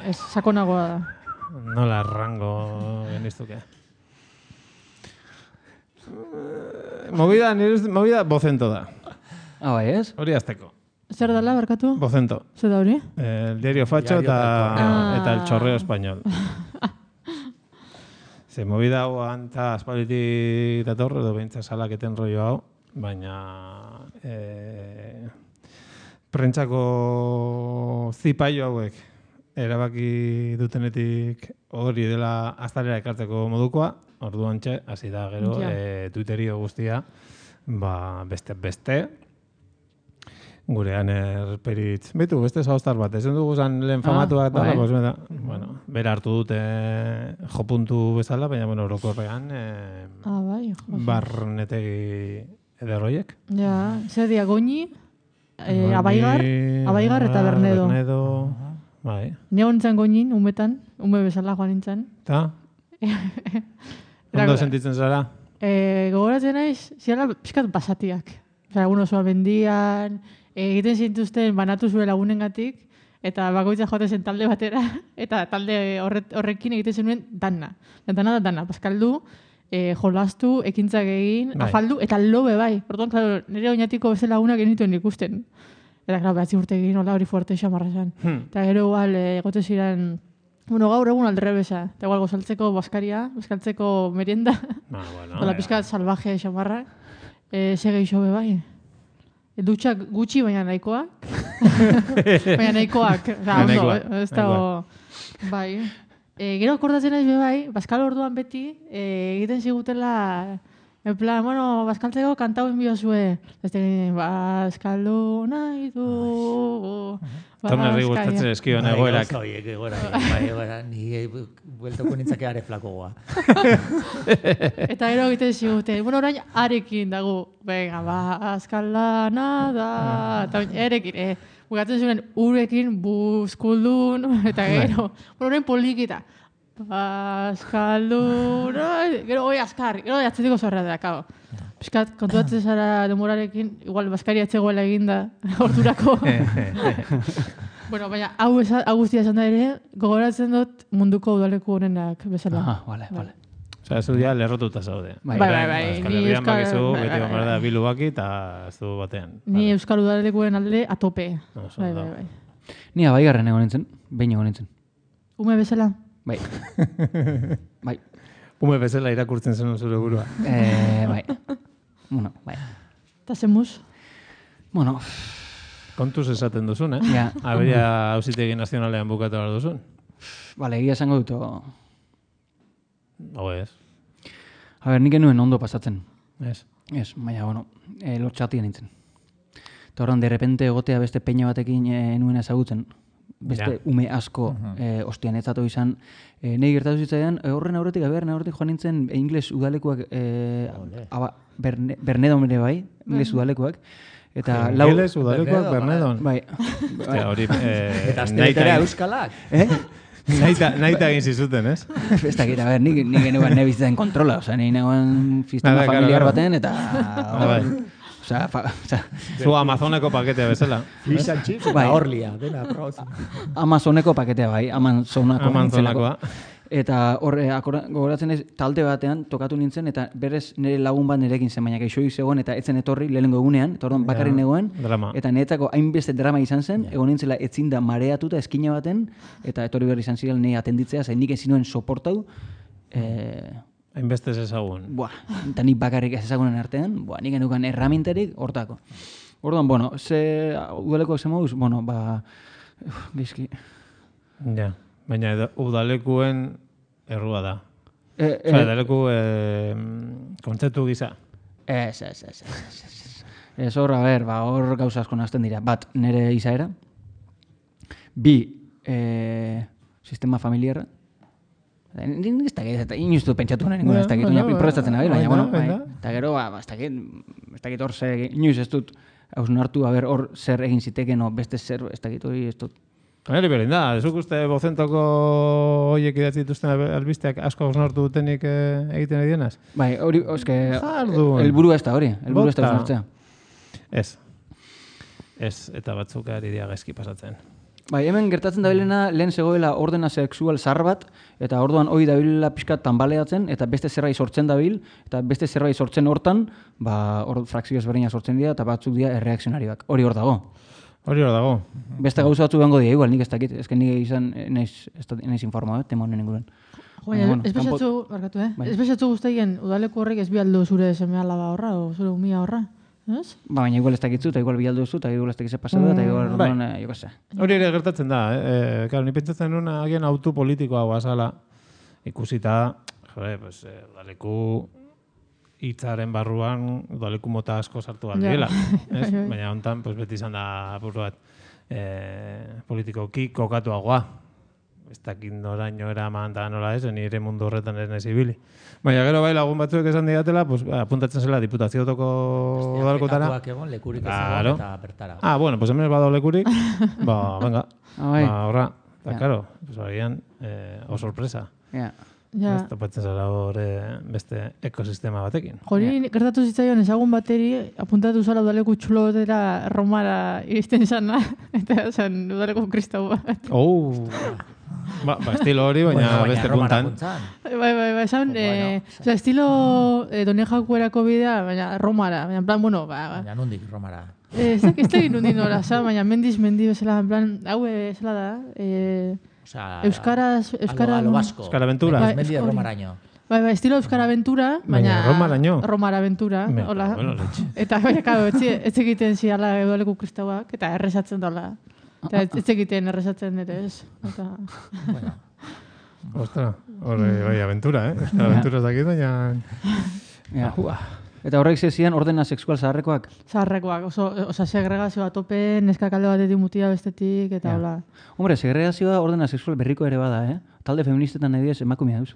Ez, sakonagoa da. Nola rango geniztuke. Movida bocento da. Bai, ez? Hori azteko. Zer dala, barkatu? Bocento. Zer da hori? El diario Facho eta el chorreo español. Ze movida hau anta aspaliti dator, edo behintza salaketen rollo hau, baina prentsako zipaio hauek erabaki dutenetik hori dela aztalera ekartzeko modukoa, orduan txe, hasi da gero Twitterio guztia, beste, gurean erperitz. Bitu, beste zauztar bat, ezen dugu zan lehen famatuak, bera hartu dute jopuntu bezala, baina orokorrean barnetegi ederroiek. Ja, zer dia, Goñi, Abaigar eta Bernedo. Bai. Ne hontzan Goñin, umetan, ume bezala joan nintzen. Ta? Ondo sentitzen zara? Gogoratzen naiz, ziala pixkat basatiak. Egun osoa mendian, egiten zintuzten banatu zuen lagunengatik, eta bakoitza joaten zen talde batera, eta talde horrekin egiten zenuen dana. Dana, paskaldu, jolastu, ekintzak egin, afaldu, eta lobe bai. Orduan, klaro, nire oinatiko beste lagunak genituen ikusten. Eta, klaro, behatzi urte egin, hola hori fuerte xamarra zen. Eta gero, igual, egote ziren, gaur egun aldrebesa. Eta igual, gozaltzeko baskaria, bazkaltzeko merienda. Dola pizkat salvaje xamarra. Sege iso be bai. Dutxak gutxi, baina nahikoak. Baina nahikoak. Ondo, ez dago. Bai. Gero akordatzen naiz be bai, bazkal orduan beti, egiten zigutela, en plan, bazkaltzeko kantau enbiozue. Bazkaldu nahi du. Tornerri gustatzen eskion egoerak. Egoera, ni bueltoko nintzake are flakogoa. Eta gero egiten zigute, orain arekin dago, venga, bazkalda nada, eta erekin, bukatzen zuen urekin buzkuldun, eta gero, orain polikita, bazkaldu, gero hoi azkar, gero atzetiko zorra da, kao. Piskat, kontuatzen zara demorarekin, igual bazkari atzegoela eginda, ordurako. Baina, hau guztia esan da ere, gogoratzen dut munduko udaleku honenak bezala. Vale. Osa, ez du dia lerrotuta zaude. Bai. Euskal Herrian bakizu, beti gomar da bilu baki, eta ez du batean. Ni Euskal Udalekuen alde atope. Bai. Ni Abaigarren egon nintzen, behin egon nintzen. Ume bezala? Bai. Ume bezala irakurtzen zen zure burua. Bai. Bai. Eta zemuz? Kontuz esaten duzun, Ja. Aberia Auzitegi Nazionalean bukatu behar duzun. Bale, egia esango dut. Hau ez. A ber, nik enuen ondo pasatzen. Ez. Ez, baina, lortxatia nintzen. Eta horren, de repente egotea beste peina batekin enuen ezagutzen. Beste ume asko ostian etzatu izan. Nei gertatu zitzaidan, horren aurretik joan nintzen ingles udalekuak, Bernedon ere bai, ingles udalekuak. Eta ingles udalekuak Bernedon. Bai. Hori, eta azteletera euskalak. Naita egin zizuten, ez? Ez dakit, a ber, nik genuen nebizitzen kontrola, oza, nik nengoen sistema familiar baten, eta Zu Amazoneko paketea bezala. Fish and chips eta horlia, dena probatzen. Amazoneko paketea bai, Amazonakoa. Eta horre, gogoratzen ez, talde batean tokatu nintzen, eta berez nire lagun bat nirekin zen, baina gaixoik zegoen, eta etzen etorri lehenengo egunean, eta orduan bakarrik negoen, eta niretzako hainbeste drama izan zen, egon nintzela etzinda mareatuta eskina baten, eta etorri berri izan ziren nire atenditzea, zain nik ezin nuen soportau. Hainbeste ez ezagun. Eta nik bakarrik ez ezagunen artean, nik genukan erramintarik hortako. Orduan, udalekoak zen moduz, bizki. Ja. Baina udalekuen errua da. Udaleku kontzeptu gisa. Ez hor gauza asko nazten dira. Bat, nire izaera. Bi, sistema familiarra. Ez dakit, inustu pentsatu nahi ningun, ez dakit, prestatzen nabil, baina, eta gero, ez dakit hor ze, inoiz ez dut, hausnartu, hor zer egin ziteken, beste zer, ez dakit hori ez dut. Hori berdin da, ezuk uste bozentoko horiek idatzi dituzten albisteak asko hausnartu dutenik egiten ari dienaz? Bai, hori, helburua ez da hori, helburua ez da hausnartzea. Ez, eta batzuk ari dira gaizki pasatzen. Bai, hemen gertatzen dabilena lehen zegoela ordena sexual zahar bat, eta orduan hori dabilela pixkat tanbaleatzen, eta beste zerbait sortzen dabil, eta beste zerbait sortzen hortan, hor frakzio ezberdinak sortzen dira, eta batzuk dira erreakzionariak. Hori hor dago. Beste gauza batzu behango dira, igual, nik ez dakit, ezken nik izan naiz informa, tema honen inguruan. Ez bezatzu guztien udaleku horrek ez bialdu zure seme alaba horra, o zure umia horra? Baina igual ez dakitzu, eta igual bialdu zu, eta igual ez dakitze pasatu, eta igual jo kase. Hori ere gertatzen da, ni pentsatzen nuen agian autu politikoa guazala, ikusita, udaleku hitzaren barruan udaleku mota asko sartu aldiela. Baina hontan beti izan da apur bat politikoki kokatuagoa. Ez dakit noraino eraman eta nola ez, nire mundu horretan ez nahi zibili. Baina gero bai lagun batzuek esan digatela, apuntatzen zela diputaziotoko udalekotara. Petatuak egon, lekurik ez egon eta bertara. Bueno, hemen bado lekurik, venga, horra. Eta, karo, agian, sorpresa. Ez topatzen zara hor beste ekosistema batekin. Hori gertatu zitzaion ezagun bateri apuntatu zala udaleku txulotera Romara iristen izana, eta esan udaleku kristau bat. Estilo hori, baina beste puntan. Bai, esan, estilo Donejakuerako bidea, baina Romara, baina en plan, baina nundik Romara. Ez dakit nundik nora, baina mendi bezala, en plan, hau bezala da, Euskara Aventura. Media Romaraino. Bai, estilo Euskara Aventura, baina Romara Aventura, hola. Eta ez egiten ziala udaleku kristauak, eta errezatzen dola. Eta ez egiten errezatzen ere ez. Ostra, bai, aventura, Euskara Aventura ez dakit, baina... Eta horrek zezian ordena sexual zaharrekoak? Zaharrekoak, segregazioa tope, neskak alde batetik mutia bestetik, eta hola. Hombre, segregazioa ordena sexual berriko ere bada, Talde feministetan nahi diez emakumea duz.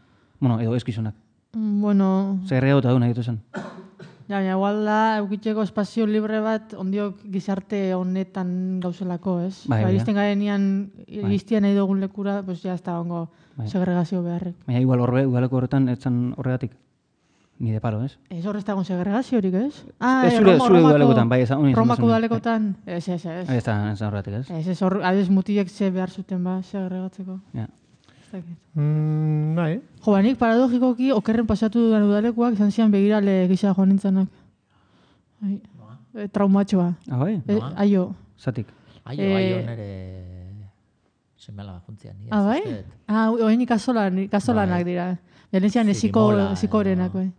Edo eskizonak. Segregatuta du nahi ditu zen. Baina, igual da, eukitzeko espazio libre bat ondiok gizarte honetan gauzelako, ez? Iristen garenean, iristia nahi dugun lekura, pues ya ez da ongo segregazio beharrek. Baina, igual udaleko horretan etzan horregatik. Ni de palo, ez? Ez horrez dagoen segregaziorik, ez? Zure udalekotan, bai, ez. Romako udalekotan, ez. Ez da horregatik, ez? Ez adez mutiek ze behar zuten segregatzeko. Ja. Bai. Nik paradogikoki okerren pasatu dudan udalekuak izan zian begirale gisa joan nintzenak. Traumatxoa. Bai? Aio. Zatik. Aio nere semela juntzian. Bai? Oen ikasolanak dira. Janezian ezikorenak, bai.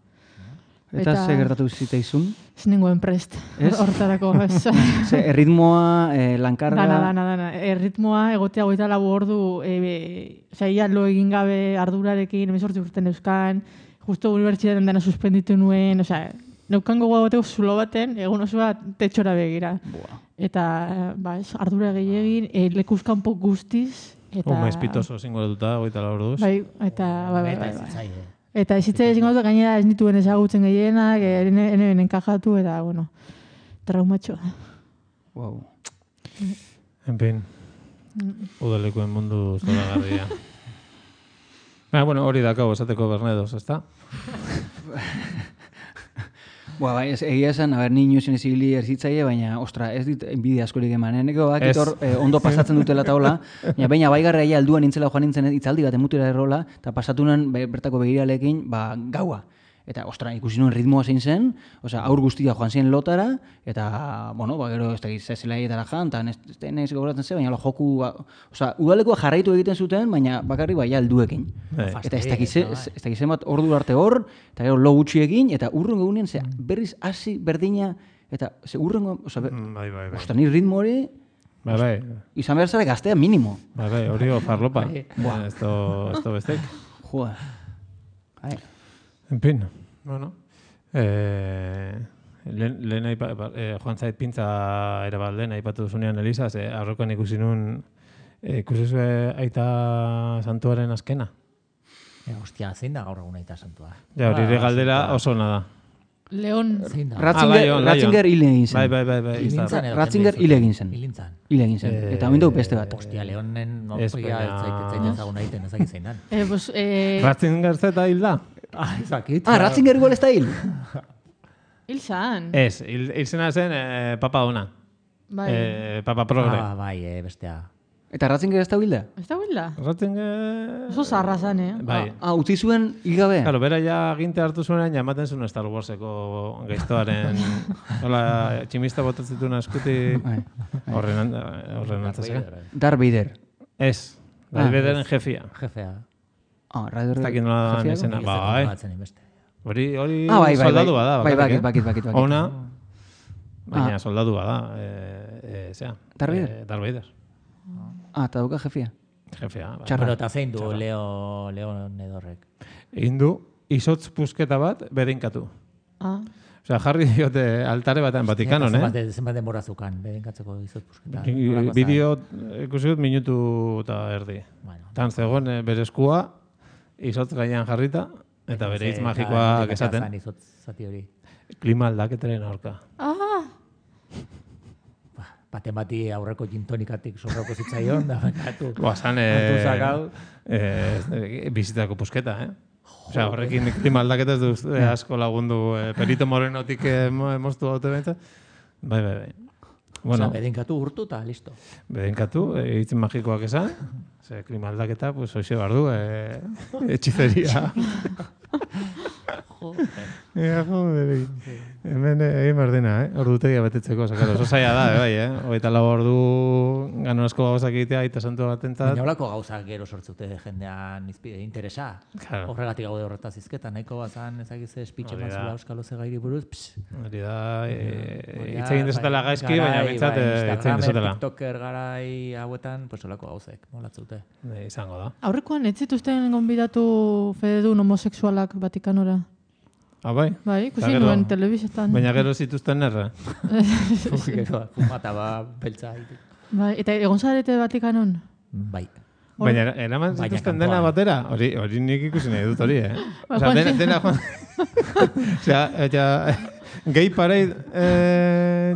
Eta ze gertatu ziteizun? Ez ninguen prest, horretarako. Erritmoa, lankarga... Dana. Erritmoa, egotea goita lagu ordu, ia lo egin gabe ardurarekin, 18 urten euskan, justo unibertsitaten dena suspenditu nuen, neukan gogoa goteko zulo baten, egun osoa tetxora begira. Eta, ardura gehiagin, lekuzkanpo guztiz, eta... espitoso zingoratuta, goita lagu orduz. Bai, eta ezitzea ezingo dut, gainera ez nituen ezagutzen gehienak, enen enkajatu, eta, traumatxoa. Wow. En fin, udalekuen mundu zoragarria. Hori dakau esateko Bernedos, ezta? Bai, egia esan, ni inozen ezibili erzitzaile, baina, ostra, ez dit enbidia askorik eman. Eneko bakit hor ondo pasatzen dutela taula, baina baigarra ja alduan nintzela joan nintzen itzaldi bat emutera errola, eta pasatu nuen bertako begiralekin, gaua. Eta, ostra, ikusi nuen ritmoa zein zen, aur guztia joan ziren lotara, eta, gero ez da zelaetara jan, eta ez gogoratzen ze, baina joku, udalekoa jarraitu egiten zuten, baina bakarrik baina alduekin. Eta ez dakizen bat ordu arte hor, eta gero lo gutxiekin, eta urrengo egunean, berriz hasi berdina, eta urrengo, ostra, ni ritmo hori, izan behar zara gaztea minimo. Hori farlopa, ez da bestek. Joa. En fin, bueno. Lehen joan zait pintza ere bat lehen aipatu duzunean Elisa, aurrekoan ikusi nun ikusi zuen aita santuaren azkena. Hostia, zein da gaur egun aita santua? Ja, hori galdera oso nada. Leon. Ratzinger hile egin zen. Bai. Ratzinger hile egin zen. Hile egin zen. Eta hamen dugu beste bat. Hostia, Leonen norpoia zaiten ezagun egiten ezak izan dan. Ratzinger zeta hil da? Ezakit. Ratzinger igual ez da hil? Hil zan. Ez, hil zena zen papa ona. Papa progre. Bai, bestea. Eta Ratzinger ez da hilda? Ez da hilda? Ratzinger... Oso zarra zan, Bai. Utzi zuen hilgabe? Claro, bera ja aginte hartu zuenean, jamaten zuen Star Warseko gaiztoaren... Hola, tximista botatzituna eskuti... Horren antzazera. Darth Vader. Ez. Darth Vaderen jefia. Jefea. Raider jefia? Ez dakit nola da nesena. Bai. Hori soldadu bada. Bakit. Ona, baina soldadu bada. Darth Vader. Eta dauka jefia. Jefia. Pero eta zein du Leon edorrek? Egin du, izotz pusketa bat bedeinkatu. Osea, jarri diote altare batean Vatikanon, Zenbat denbora zukan bedeinkatzeko izotz pusketa? Bideo ikusi dut minutu eta erdi. Tan zegoen bere eskua, izotz gainean jarrita, eta bere hitz magikoak esaten. Klima aldaketaren aurka. Baten bati aurreko gintonikatik sorroko zitzaion, da bakatu. Guazan, bizitako pusketa, Osea, horrekin klima aldaketa ez du asko lagundu Perito Morenotik moztu haute bentsa. Bai. Osea, bedeinkatu urtu eta listo. Bedeinkatu, hitz magikoak esan, klima aldaketa, pues hoxe bardu, etxizeria. Joder. Hemen egin berdina, ordutegia betetzeko, oso zaila da, bai, Hogeita lau ordu ganorazko gauzak egitea, eta santu batentzat. Baina holako gauzak gero sortzute jendean interesa. Horregatik gaude horretaz izketan, nahiko bazan ezagize espitxe batzula euskalo zegairi buruz. Hori da, hitz egin dezatela gaizki, baina bintzat hitz egin dezatela. TikToker garai hauetan, pues holako gauzek, molatzute. Izango da. Aurrekoan, ez zituzten gonbidatu fededun homoseksualak Vatikanora? Bai? Bai, ikusi nuen telebizetan. Baina gero zituzten erra? Gero, fumata beltza. Bai, eta egon zarete Vatikanon? Bai. Baina eraman zituzten dena batera? Hori nik ikusi nahi dut hori, Osea, dena joan... Osea, gay parade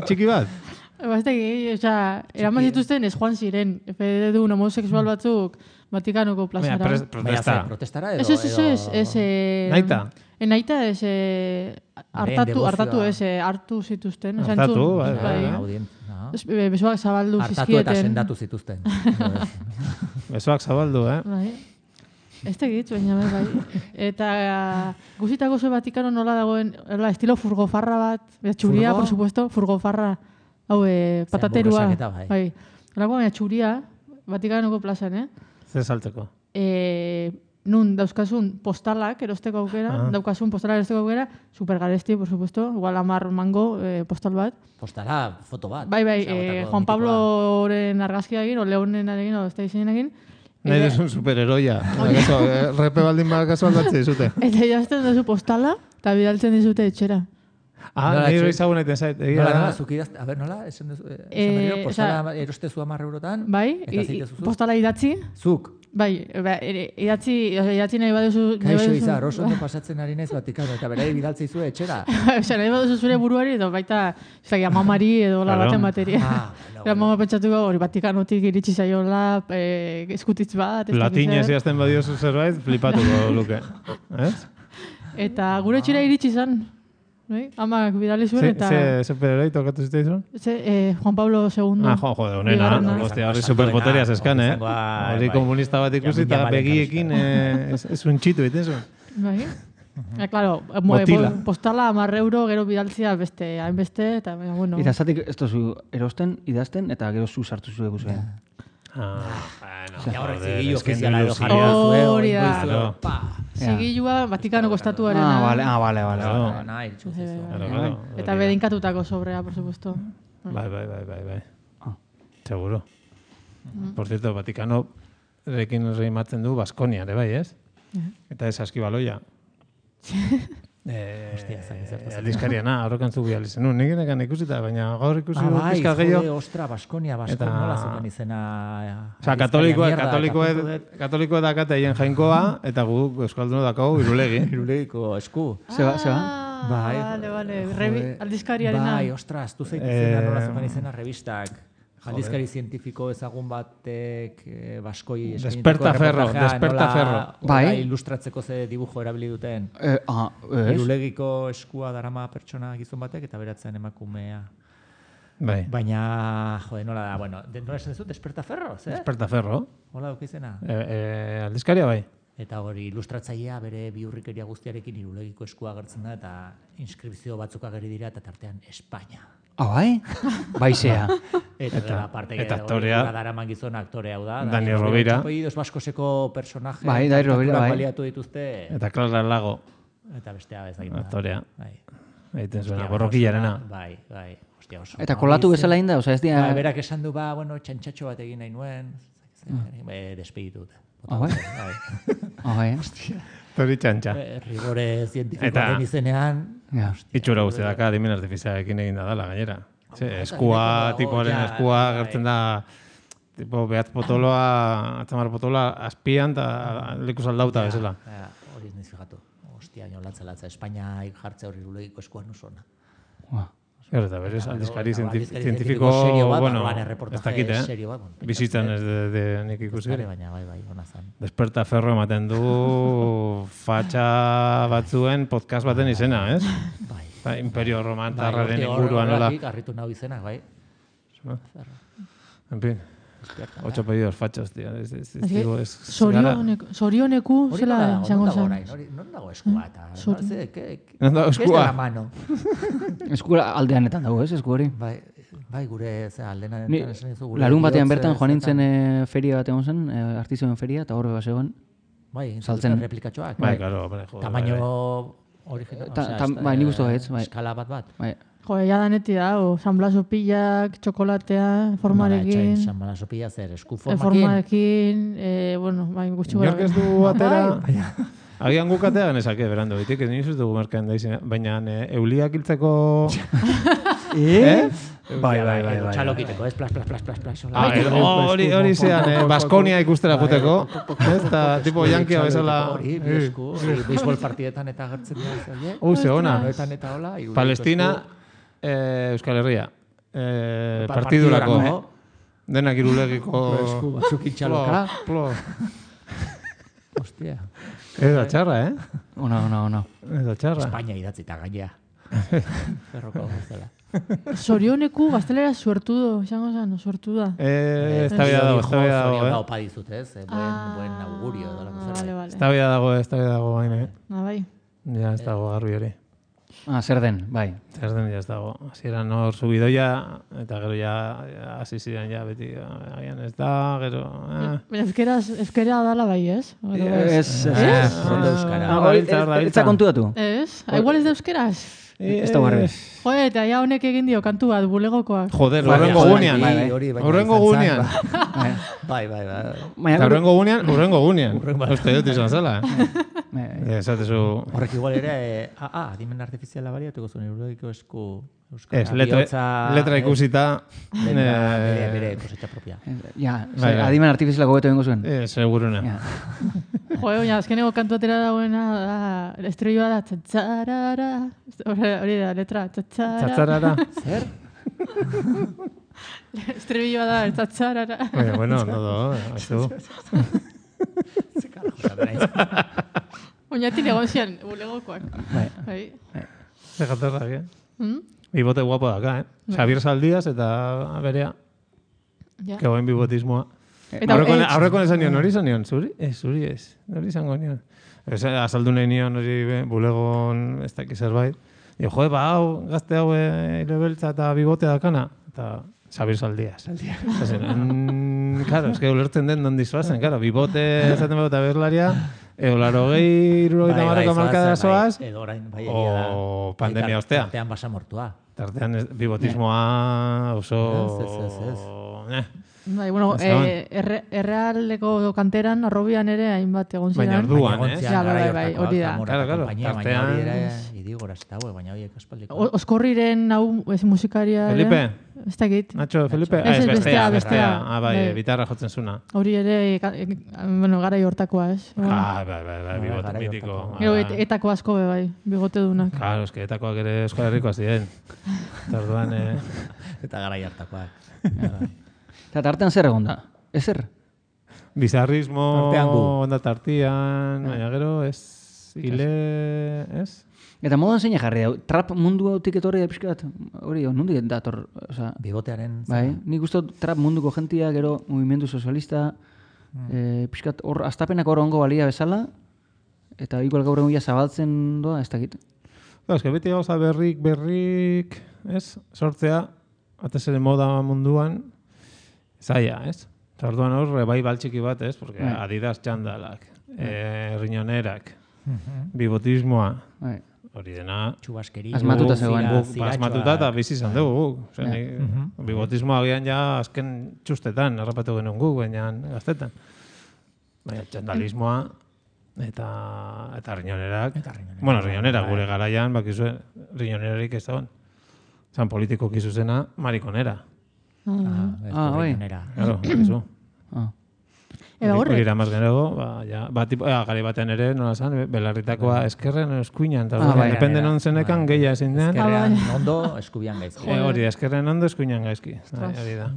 txiki bat? Eraman zituzten ez joan ziren, fededun homosexual batzuk Vatikanoko plazara. Protestara edo? Ez. Naita? Naita ez hartatu ez, hartu zituzten. Hartatu, bai. Besoak zabaldu zizkieten. Hartatu eta sendatu zituzten. Besoak zabaldu, Bai. Ez tegit, baina bai. Eta guzitako zo Vatikano nola dagoen, estilo furgofarra bat, txuria, por supuesto, furgofarra. Hau, pataterua. Bai. Horako baina txuria, Vatikanoko plazan, Zer saltzeko? Nun dauzkasun postalak erosteko aukera, supergaresti, por supuesto, igual 10 mango postal bat. Postala, foto bat. Bai, Juan Pabloren argazkia egin, o Leonen egin, o ez da izan egin. Nahi desun superheroia. Repe baldin bakaso aldatzen dizute. Eta jazten duzu postala, eta bidaltzen dizute etxera. Nahi hori zagun egiten zait. Nola, zukidazte, a ber, nola? Postala erostezu 10 eurotan. Bai, postala idatzi. Zuk. Bai, idatzi nahi baduzu... Kaixo izar, oso ondo pasatzen ari naiz Vatikano, eta berai bidaltzei zuen etxera. Osa, nahi baduzu zure buruari, edo baita, amamari edo baten bateria. Mama pentsatuko hori Vatikanotik iritsi zaiola, eskutitz bat... Latinez jazten badiozu zerbait, flipatuko luke. Eta gure etxera iritsi zen. Amak bidali zuen eta... Ze pereroi tokatu zitzaizun? Juan Pablo II. Jode, honena. Hostia, horri superpoterias eskan, Hori komunista bat ikusi eta begiekin ez untxitu egiten zuen. Bai. Claro, postala 10 euro gero bidaltzia beste, hainbeste, eta bueno... Eta zatik ez tozu erosten, idazten, eta gero zu sartu zu eguzuen. Ja, horrek zigillo ofiziala edo jarri da zuen. Hori da. Zigillua Vatikanoko estatuarena. Vale. Eta bedeinkatutako sobrea, por supuesto. Bai. Seguro. Por cierto, Vatikano rekin reimatzen du Baskonia, ere bai, ez? Eta ez Askibaloia. Aldizkariana, horrekan zu bial izan. Nik enekan ikusita, baina gaur ikusi du pizka gehiago. Ostra, Baskonia, nola zuten izena. Osa, katolikoa dakate hien jainkoa, eta gu euskalduna dakau irulegi. Irulegiko esku. Zeba? Vale. Aldizkariarena. Bai, ostras, du zeitu izena, nola zuten izena revistak. Aldizkari zientifiko ezagun batek baskoi Desperta Ferro. Bai. Ilustratzeko ze dibujo erabili duten. Irulegiko eskua darama pertsona gizon batek eta beratzen emakumea. Bai. Baina, nola da, bueno, nola esan dezut, Desperta Ferro, zer? Desperta Ferro. Hola duk izena? Aldizkaria bai. Eta hori ilustratzailea bere biurrikeria guztiarekin irulegiko eskua agertzen da eta inskripzio batzuk ageri dira eta tartean Espainia. Bai? Baizea. Eta aktorea. Daraman gizon aktore hau da. Dani Rovira. Apellidos baskoseko personaje. Bai, Dani Rovira, bai. Baliatu dituzte. Eta Clara Lago. Eta bestea ez da. Aktorea. Egiten zuena, borrokilarena. Bai. Hostia, oso. Eta kolatu bezala inda, oza ez dira... Berak esan du, txantxatxo bat egin nahi nuen. Despeditu dute. Bai. Tori txantxa. Rigore zientifikoaren izenean. Itxura guzti daka, adimen artifizialekin egin da dala, gainera. Tipoaren eskua gertzen da, tipo, behatz potoloa, atzamar potoloa, azpian eta leku saldauta bezala. Hori ez niz fijatu. Hostia, latza, Espainia jartze hori irulegiko eskuan usona. Gero eta berez, aldizkari zientifiko, bueno, ez dakit, bizitzan ez de nik ikusi. Baina, bai, hona zan. Desperta Ferro ematen du fatxa batzuen podcast baten izena, ez? Bai. Imperio Romantarraren inguruan, nola. Arritu nahu izenak, bai. En fin. 8 pedidos fachos, tío. Sorioneku, zela izango zen. Non dago eskua eta? Non dago eskua? La mano. Eskua aldeanetan dago, ez, esku hori? Bai, gure aldeanetan esan dizu. Larun batean bertan joan nintzen feria bat egon zen, artizioen feria, eta horre bat zegoen. Bai, saltzen replikatxoak. Bai, claro. Tamaino original. Bai, nik uste gaitz. Eskala bat. Bai. Jo, ya daneti da, San Blas opillak, txokolatea, formarekin. San Blas opilla zer, esku formarekin. Bueno, bai, gutxi gara. Inork ez du atera. Agian gukatea genezake, berando, bitik, ez nioz ez dugu markaen daizena. Baina euliak hiltzeko... Bai. Txalokiteko, ez plas. Hori zean, Baskonia ikustera juteko. Ez da, tipo yankia bezala... Hori, beisbol partidetan eta gertzen dira. Ze ona. Palestina, Euskal Herria. Partidurako. Denak irulegiko... Esku batzuk itxaloka. Hostia. Ez da txarra, Ona. Ez da txarra. Espainia idatzita gainea. Ferroko bezala. Sorioneku gaztelera suertudo, izango zen, suertuda. Estabia dago. Sorion opa dizut, ez? Buen augurio. Vale. Estabia dago, baina. Bai. Ja, ez dago garbi hori. Zer den, bai. Zer den, ja ez dago. Hasieran hor subidoia, eta gero ja, hasi ziren ja, beti, agian ez da, gero... Baina euskera dala bai, ez? Ez. Rondo euskara. Etza kontu datu. Ez? Igual ez da euskeraz? Ez da garbi. Joder, eta ja honek egin dio kantu bat, bulegokoak. Joder, horrengo gunean. Horrengo gunean. Bai. Horrengo gunean. Uste dut izan zela, Esatezu... Horrek igual ere, adimen artifiziala bariatuko zuen, irulegiko esku... Ez, letra ikusita... Bere kosetxa propia. Ja, adimen artifizialako beto bengo zuen. Seguruna. Joder, baina, azkeneko kantu atera dagoena, estrelloa da, txatzarara... Hori da, letra, txatzarara. Zer? Estrelloa da, txatzarara. Bueno, no, haizu. Ze karajo zaten aiz. Oinatik egon zian, bulegokoak. Bai. Ze jatorrak, Bibote guapo daka, Xabier Zaldiaz eta berea. Kegoen bibotismoa. Aurreko esan nion, hori izan nion? Zuri? Zuri ez. Hori izango nion. Azaldu nahi nion hori bulegon ez dakiz zerbait. Jo, hau, gazte hau irebeltza eta bibotea dakana. Eta Xabier Zaldiaz. Claro, es que ulertzen den non dizuazen, claro. Bibote esaten bauta berlaria, eolaro gehi, irurogeita marroko markada zoaz, o pandemia ostea. Tartean basa mortua. Tartean bibotismoa oso... Bai, bueno, errealeko kanteran, arrobian ere, hainbat egon ziren. Baina orduan, Ja, bai, hori da. Claro, tartean... Idigora ez dago, baina horiek aspaldiko. Oskorriren hau musikaria... Felipe? Ez dakit. Nacho, Felipe? Ez, bestea. Bai, bitarra jotzen zuna. Hori ere, garai hortakoa, ez? Bai, bigote mitiko. Gero, etako asko bai, bigote dunak. Claro, eske etakoak ere Euskal Herrikoa ziren. Tarduan... Eta garai hartakoak. Eta tartean zer egon da? Ezer? Bizarrismo... Tartean gu. Onda tartian, baina gero, ez... Ile... Ez? Eta modan zeina jarri da, trap mundu hautik etorri da pixkat, hori, nondik dator, oza... Bigotearen... Bai, nik uste trap munduko jentia, gero movimendu sozialista, pixkat hor, astapenak hor ongo balia bezala, eta igual gaur egun zabaltzen doa, ez dakit. Ez que beti gauza berrik, ez? Sortzea, atezere moda munduan, zaila, ez? Orduan hor, bai baltxiki bat, ez? Porque Adidas txandalak, riñonerak, bibotismoa, hori dena... Txubaskeria. Asmatuta zegoen. Asmatuta eta bizi izan dugu guk. Bibotismoa agian ja azken txustetan, errapatu genuen guk, baina gaztetan. Baina txandalismoa eta riñonerak. Bueno, riñonerak gure garaian, bakizue, riñonerarik ez dagoen. Zan politiko kizuzena, marikonera. Bai. Claro, bakizu. Hori iramaz genero, gari batean ere, nola zan, belarritakoa eskerren eskuinan, depende non zenekan gehia ezin den. Eskerrean ondo, eskubian gaizki. Hori, eskerren ondo, eskuinan gaizki. Hori da.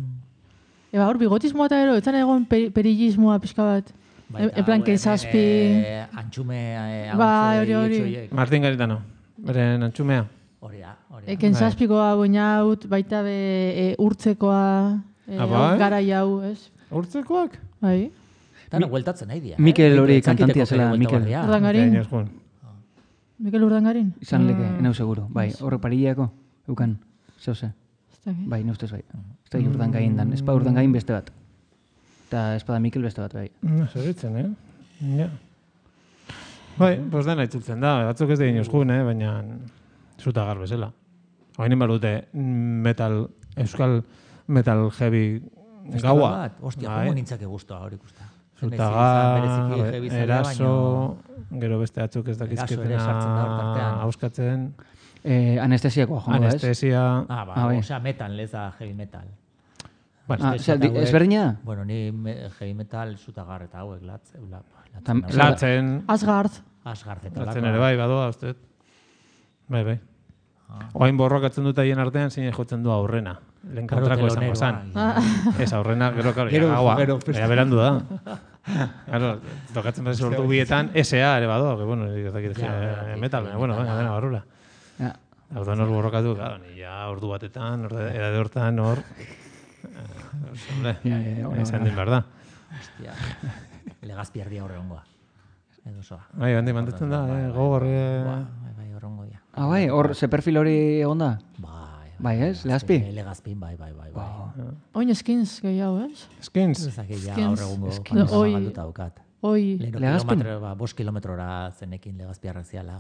Hor, bigotismoa eta gero, etzan egon perigismoa pixka bat. En plan, kezazpi... Antxume... Hori. Martin Garitano, beren antxumea. Hori da. Kezazpikoa, boinaut, baita be urtzekoa, gara jau, ez? Urtzekoak? Bai. Tano, gueltatzen nahi dia. Mikel hori kantantia zela, Mikel. Urdangarin? Mikel Urdangarin? Izan leke, enau seguro. Bai, horre parileako, eukan, zehose. Bai, neustez bai. Ez da Urdangain dan, ez pa Urdangain beste bat. Eta ez pa da Mikel beste bat, bai. Zeritzen, Ja. Bai, pues dena itzultzen da. Batzuk ez da inozkun, baina zuta gar bezala. Hain inbar dute euskal metal heavy gaua. Ostia, como nintzake guztua hori ikusta. Zutagar, eraso, gero beste atzuk ez dakizketena hauskatzen. Anestesiakoa jongo, ez? Anestesia. Osea, metal, leza heavy metal. Ezberdina? Bueno, ni heavy metal zutagar eta hauek latzen. Asgard. Latzen ere bai, badoa, uste. Bai. Oain borrokatzen dut haien artean, zein jotzen du aurrena. Lehen kontrako esango esan. Ez aurrena, gero gaua. Ea berandu da. Tokatzen bat ordu bietan, S.A. ere badoa, que bueno, ez dakit metal, bueno, dena barrura. Orduan hor borrokatu, ni ja ordu batetan, edade hortan hor... Esan din behar da. Hostia, legazpiardia horre ongoa. Edo soa. Bai, handi mantetzen da, gogor... Bai, horrengo dia. Bai, hor, ze perfil hori egon da? Bai, ez? Legazpi? Legazpin, bai. Oin skins gehiago, ez? Skins? Ezakit ja horregungo pantalduta daukat. Oi. Legazpin? 5 kilometrora zenekin legazpiarrak ziala.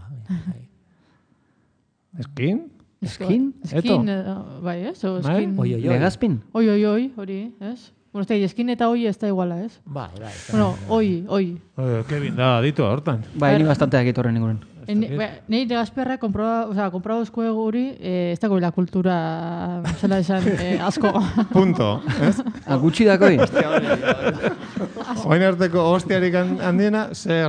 Skin? Skin? Skin, bai, ez? Legazpin? Oi, hori, ez? Bueno, skin eta oi ez da iguala, ez? Bai. Bueno, oi. Kevin da, ditu hortan. Bai, ni bastante dakit horren inguren. Nei legazpiarra comprado eskuego guri, ez dago la kultura, zela esan, asko. Punto, ez? Gutxi dakoi? Oain arteko hostiarik handiena, ze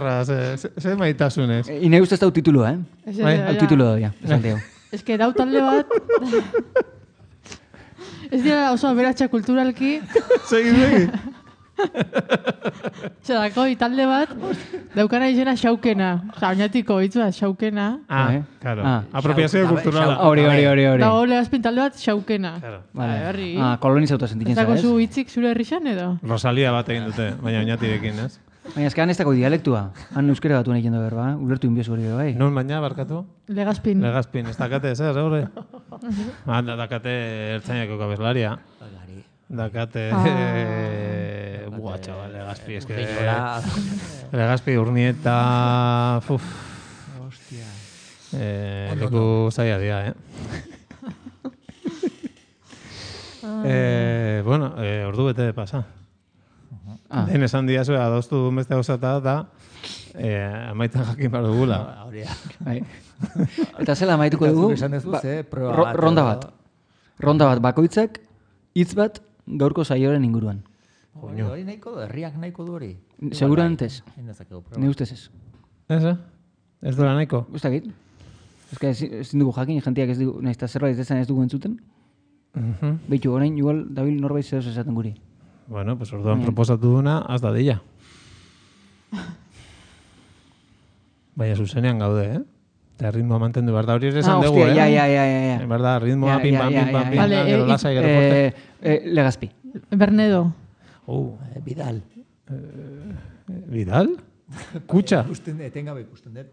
maitasunez. Ine uste ez dau titulua, Hau titulu da, esan diau. Ez que dau talde bat... Ez dira oso aberatxa kulturalki. Segi. Txedako, talde bat, daukana izena xaukena. Oinatiko hitzua xaukena. Claro. Apropiazio kulturala. Hori. Da, Legazpin talde bat xaukena. Vale. Kolonizauta sentitzen zara, ez? Ez dago zu hitzik zure herrixan edo? Rosalia bat egin dute, baina oinatirekin, ez? Baina ezkean ez dago dialektua. Han euskera batu nahi jendo berba, ulertu inbiozu hori bai. Non baina, barkatu? Legazpin. Ez dakate, zer, hori? Dakate ertzainako kabeslaria. Dakate... Buah, txabal, Legazpi, ez que... Legazpi, Urnieta... Hostia. Leku zaila dia, Bueno, ordu bete pasa. Den esan diazu, adostu duen beste gauzata da, amaitan jakin behar dugula. Eta zela amaituko dugu, ronda bat. Ronda bat, bakoitzak, hitz bat, gaurko saioaren inguruan. Hori nahiko du, herriak nahiko du hori. Seguramente ez. Ne ustez ez. Ez duela nahiko? Gustakit. Ezin dugu jakin, jentiak ez dugu, nahizta zerbait ez dugu entzuten. Beitu, orain, igual, dabil norbait zehoz esaten guri. Bueno, pues orduan proposatu duna, az da dilla. Baina zuzenean gaude, Eta ritmoa mantendu behar da, hori ere esan dugu, Ja. En verdad, ritmoa, pim-pam, gero lasai, gero forte. Legazpi. Bernedo. Vidal. Vidal? Kutxa? Etengabe ikusten dut.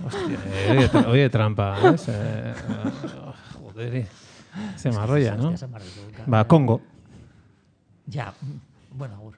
Hostia, oie trampa, ez? Joderi. Se marroia, no? Ba, Kongo. Ja, bueno, agur.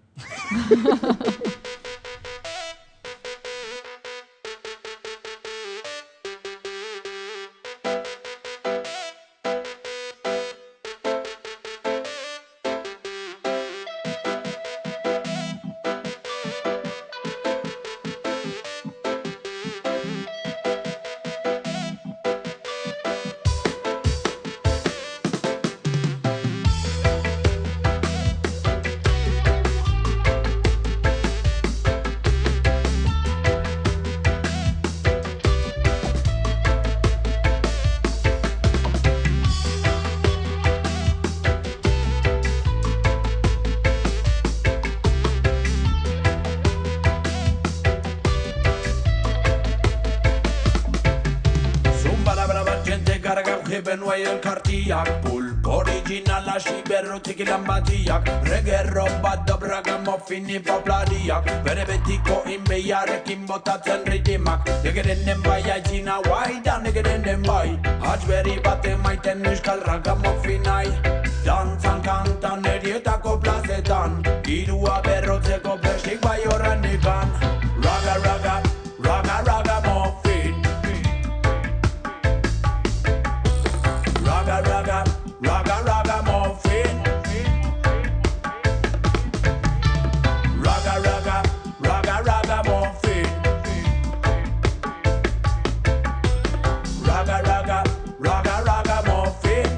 Benua elkartiak, pulp originala siberrotik ilanbatiak, regerro bat dobraga mofini poplariak, bere betiko inbeiarekin botatzen ritimak, negeren bai aitzina guaida, negeren bai, hatxberri bat emaiten euskal raga mofinai, dantzan kantan erietako plazetan, girua berrotzeko prestik bai horren ikan, raga raga, raga raga mofin. Raga, raga, raga, raga muffin. Raga, raga, raga, raga muffin. Raga, raga, raga, raga muffin.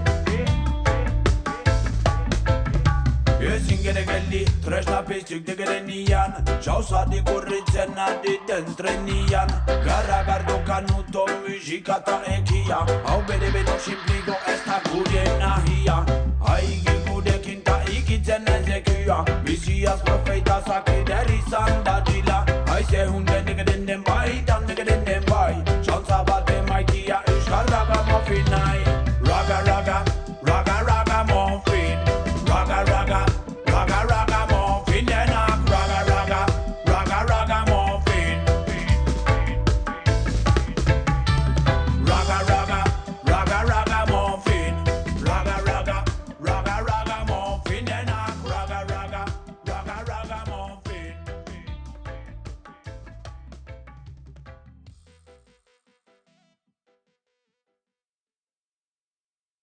Ezin gere geldi, tresna piztuk digeren ian, jauzadik urritzen aditen trenian, garra gardokan uto musika eta ekia, hau bere simpligo ez da gure nahia, haigi gurekin ta ikitzen ezekua, biziaz profeita zakider izan dadila, haize hunden digeren den bai, dan digeren den bai, jauza bat emaitia euskal raga mofinai.